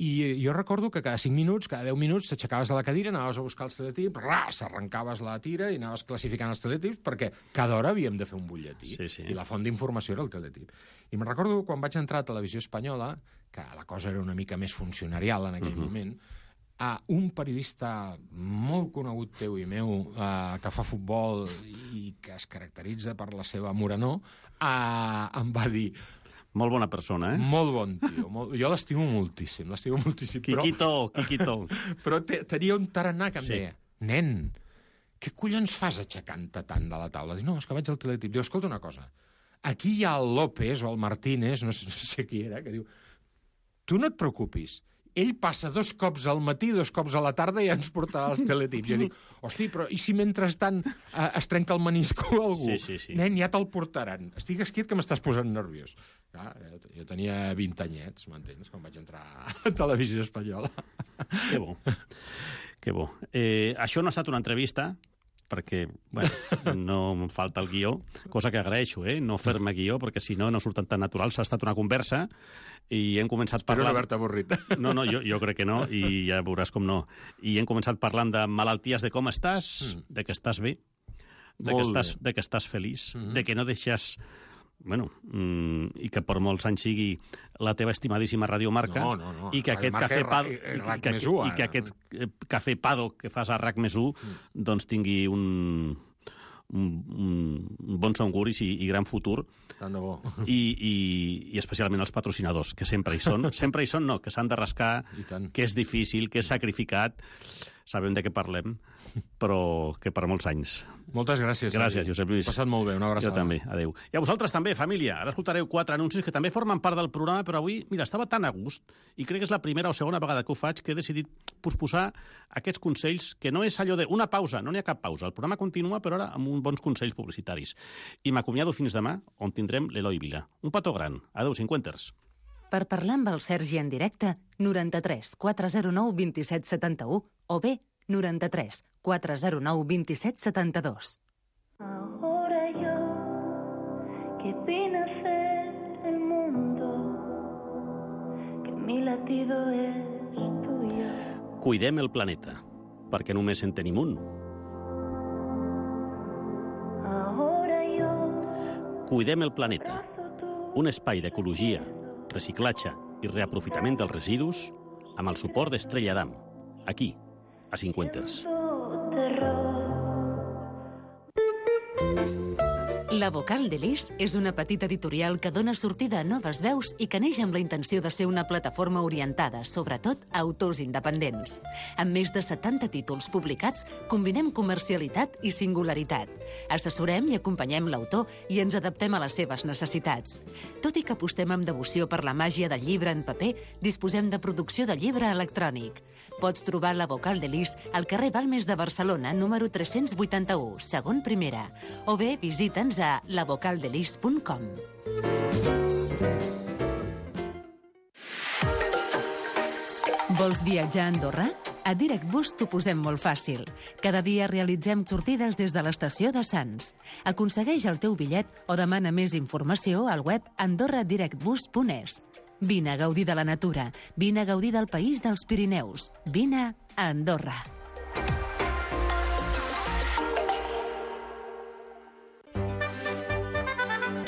I jo recordo que cada cinc minuts, cada deu minuts, t'aixecaves de la cadira, anaves a buscar els teletips, ras, arrencaves la tira i anaves classificant els teletips perquè cada hora havíem de fer un butlletí. Sí, sí. I la font d'informació era el teletip. I me'n recordo quan vaig entrar a Televisió Espanyola, que la cosa era una mica més funcionarial en aquell Mhm. moment, a un periodista molt conegut teu i meu eh, que fa futbol i que es caracteritza per la seva morenor, eh, em va dir... Molt bona persona, eh? Molt bon tio. Molt... Jo l'estimo moltíssim, l'estimo moltíssim. Quiquito, Quiquito. Però te, tenia un tarannà que em Sí. deia, nen, què collons fas aixecant-te tant de la taula? Dic, no, és que vaig al teletip. Diu, escolta una cosa, aquí hi ha el López o el Martínez, no sé, no sé qui era, que diu, tu no et preocupis, ell passa dos cops al matí, dos cops a la tarda i ja ens portarà els teletips. Jo dic, hosti, però i si mentrestant eh, es trenca el menisco a algú? Sí, sí, sí. Nen, ja te'l portaran. Estic esquiet que m'estàs posant nerviós. Clar, jo, jo tenia vint anyets, m'entens, quan vaig entrar a Televisió Espanyola. Que bo. Que bo. Eh, això no ha estat una entrevista, perquè, bueno, no em falta el guió, cosa que agraeixo, eh? No fer-me guió, perquè si no, no surten tan naturals. Ha estat una conversa i hem començat Espero parlant... no haver-te avorrit. No, no, jo, jo crec que no, i ja veuràs com no. I hem començat parlant de malalties, de com estàs, Mm. de que estàs bé, de que Molt estàs, bé. de que estàs feliç, Mhm. de que no deixes... Bueno, mm, i que per molts anys sigui la teva estimadíssima radiomarca, No, no, no. i que aquest Radiomarca cafè és Pado, Ra- és i, Rac que, més u, i que ara. aquest eh, cafè Pado que fas a RAC més u, doncs tingui un, un, un bons auguris i, i gran futur, Tant de bo. i, i, i especialment els patrocinadors, que sempre hi són. Sempre hi són, no, que s'han de rascar, I tant. que és difícil, que és sacrificat. Sabem de què parlem, però que per molts anys. Moltes gràcies. Gràcies, Sergi. Josep Lluís. He passat molt bé, una abraçada. Jo també, adeu. I a vosaltres també, família. Ara escoltareu quatre anuncis que també formen part del programa, però avui, mira, estava tan a gust, i crec que és la primera o segona vegada que ho faig, que he decidit posposar aquests consells, que no és allò de una pausa, no n'hi ha cap pausa. El programa continua, però ara amb uns bons consells publicitaris. I m'acomiado fins demà, on tindrem l'Eloi Vila. Un petó gran. Adeu, cinquanters. Per parlar amb el Sergi en directe, noranta-tres quatre zero nou vint set setanta-u o bé noranta-tres quatre zero nou vint set setanta-dos. Ahora yo, que vine a ser el mundo, que mi latido es tuyo. Cuidem el planeta, perquè només en tenim un. Ahora yo, Cuidem el planeta, un espai d'ecologia, reciclatge i reaprofitament dels residus amb el suport d'Estrella Damm, aquí, a Cinquanters. terror. La Vocal de Lis és una petita editorial que dona sortida a noves veus i que neix amb la intenció de ser una plataforma orientada, sobretot, a autors independents. Amb més de setanta títols publicats, combinem comercialitat i singularitat. Assessorem i acompanyem l'autor i ens adaptem a les seves necessitats. Tot i que apostem amb devoció per la màgia del llibre en paper, disposem de producció de llibre electrònic. Pots trobar La Vocal de Lis al carrer Balmes de Barcelona, número tres-cents vuitanta-u, segon primera, o bé visita'ns a la vocal de lis punt com. Vols viatjar a Andorra? A DirectBus t'ho posem molt fàcil. Cada dia realitzem sortides des de l'estació de Sants. Aconsegueix el teu bitllet o demana més informació al web andorra direct bus punt es. Vine a gaudir de la natura. Vine a gaudir del país dels Pirineus. Vine a Andorra.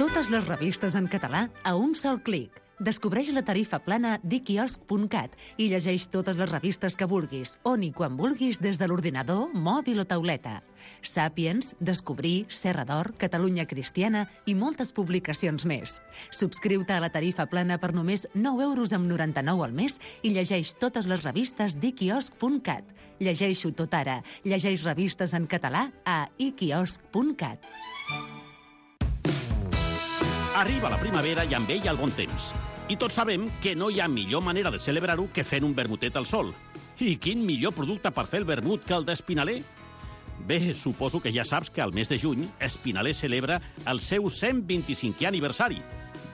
Totes les revistes en català a un sol clic. Descobreix la tarifa plana d'iquiosc punt cat i llegeix totes les revistes que vulguis, on i quan vulguis des de l'ordinador, mòbil o tauleta. Sàpiens, Descobrir, Serra d'Or, Catalunya Cristiana i moltes publicacions més. Subscriu-te a la tarifa plana per només nou euros amb noranta-nou al mes i llegeix totes les revistes d'iquiosc punt cat. Llegeixo tot ara. Llegeix revistes en català a iquiosc punt cat. Arriba la primavera i amb ella el bon temps. I tots sabem que no hi ha millor manera de celebrar-ho que fent un vermutet al sol. I quin millor producte per fer el vermut que el d'Espinaler? Bé, suposo que ja saps que al mes de juny Espinaler celebra el seu cent vint-i-cinquè aniversari.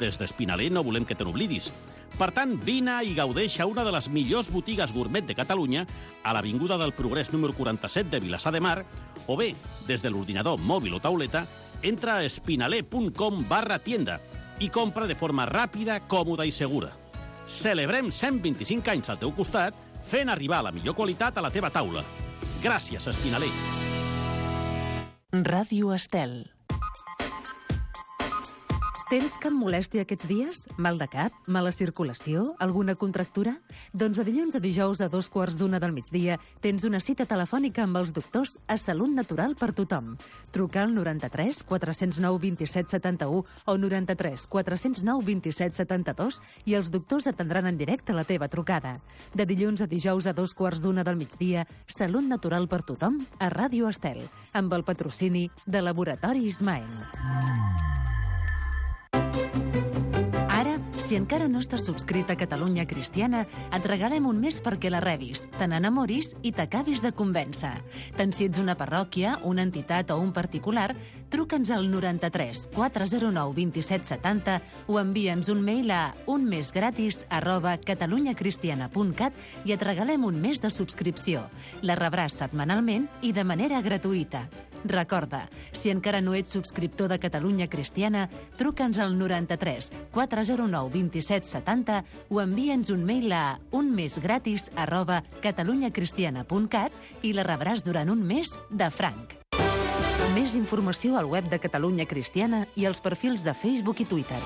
Des d'Espinaler no volem que te n'oblidis. Per tant, vine i gaudeix a una de les millors botigues gourmet de Catalunya, a l'Avinguda del Progrés número quaranta-set de Vilassar de Mar, o bé, des de l'ordinador mòbil o tauleta, entra a espinaler punt com barra tienda i compra de forma ràpida, còmoda i segura. Celebrem cent vint-i-cinc anys al teu costat, fent arribar la millor qualitat a la teva taula. Gràcies, Espinaler. Ràdio Estel. Tens cap molèstia aquests dies? Mal de cap? Mala circulació? Alguna contractura? Doncs de dilluns a dijous a dos quarts d'una del migdia tens una cita telefònica amb els doctors a Salut Natural per tothom. Truca al noranta-tres quatre zero nou vint-i-set setanta-u o noranta-tres quatre zero nou vint-i-set setanta-dos i els doctors atendran en directe la teva trucada. De dilluns a dijous a dos quarts d'una del migdia, Salut Natural per tothom a Ràdio Estel, amb el patrocini de Laboratori Ismael. Ara, si encara no estàs subscrit a Catalunya Cristiana, et regalem un mes perquè la rebis, te n'enamoris i t'acabis de convèncer. Tant si ets una parròquia, una entitat o un particular, truca'ns al noranta-tres quatre zero nou vint-i-set setanta o envia'ns un mail a unmesgratis arroba catalunyacristiana punt cat i et regalem un mes de subscripció. La rebràs setmanalment i de manera gratuïta. Recorda, si encara no ets subscriptor de Catalunya Cristiana, truca'ns al noranta-tres quatre zero nou vint-i-set setanta o envia'ns un mail a unmesgratis arroba catalunyacristiana punt cat i la rebràs durant un mes de franc. Més informació al web de Catalunya Cristiana i als perfils de Facebook i Twitter.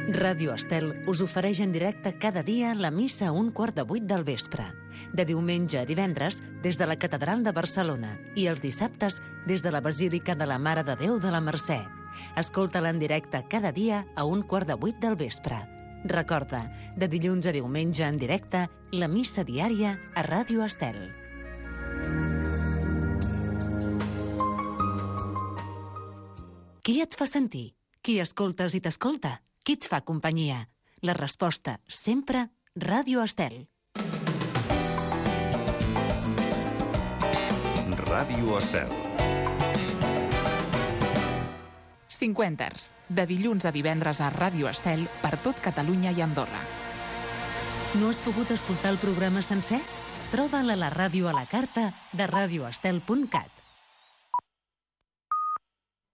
Ràdio Estel us ofereix en directe cada dia la missa a un quart de vuit del vespre. De diumenge a divendres, des de la Catedral de Barcelona i els dissabtes des de la Basílica de la Mare de Déu de la Mercè. Escolta-la en directe cada dia a un quart de vuit del vespre. Recorda, de dilluns a diumenge en directe, la missa diària a Ràdio Estel. Qui et fa sentir? Qui escoltes i t'escolta? Qui et fa companyia? La resposta, sempre, Ràdio Estel. Ràdio Estel. Cinquenters, de dilluns a divendres a Ràdio Estel per tot Catalunya i Andorra. No has pogut escoltar el programa sencer? Troba'l a la ràdio a la carta de radioestel punt cat.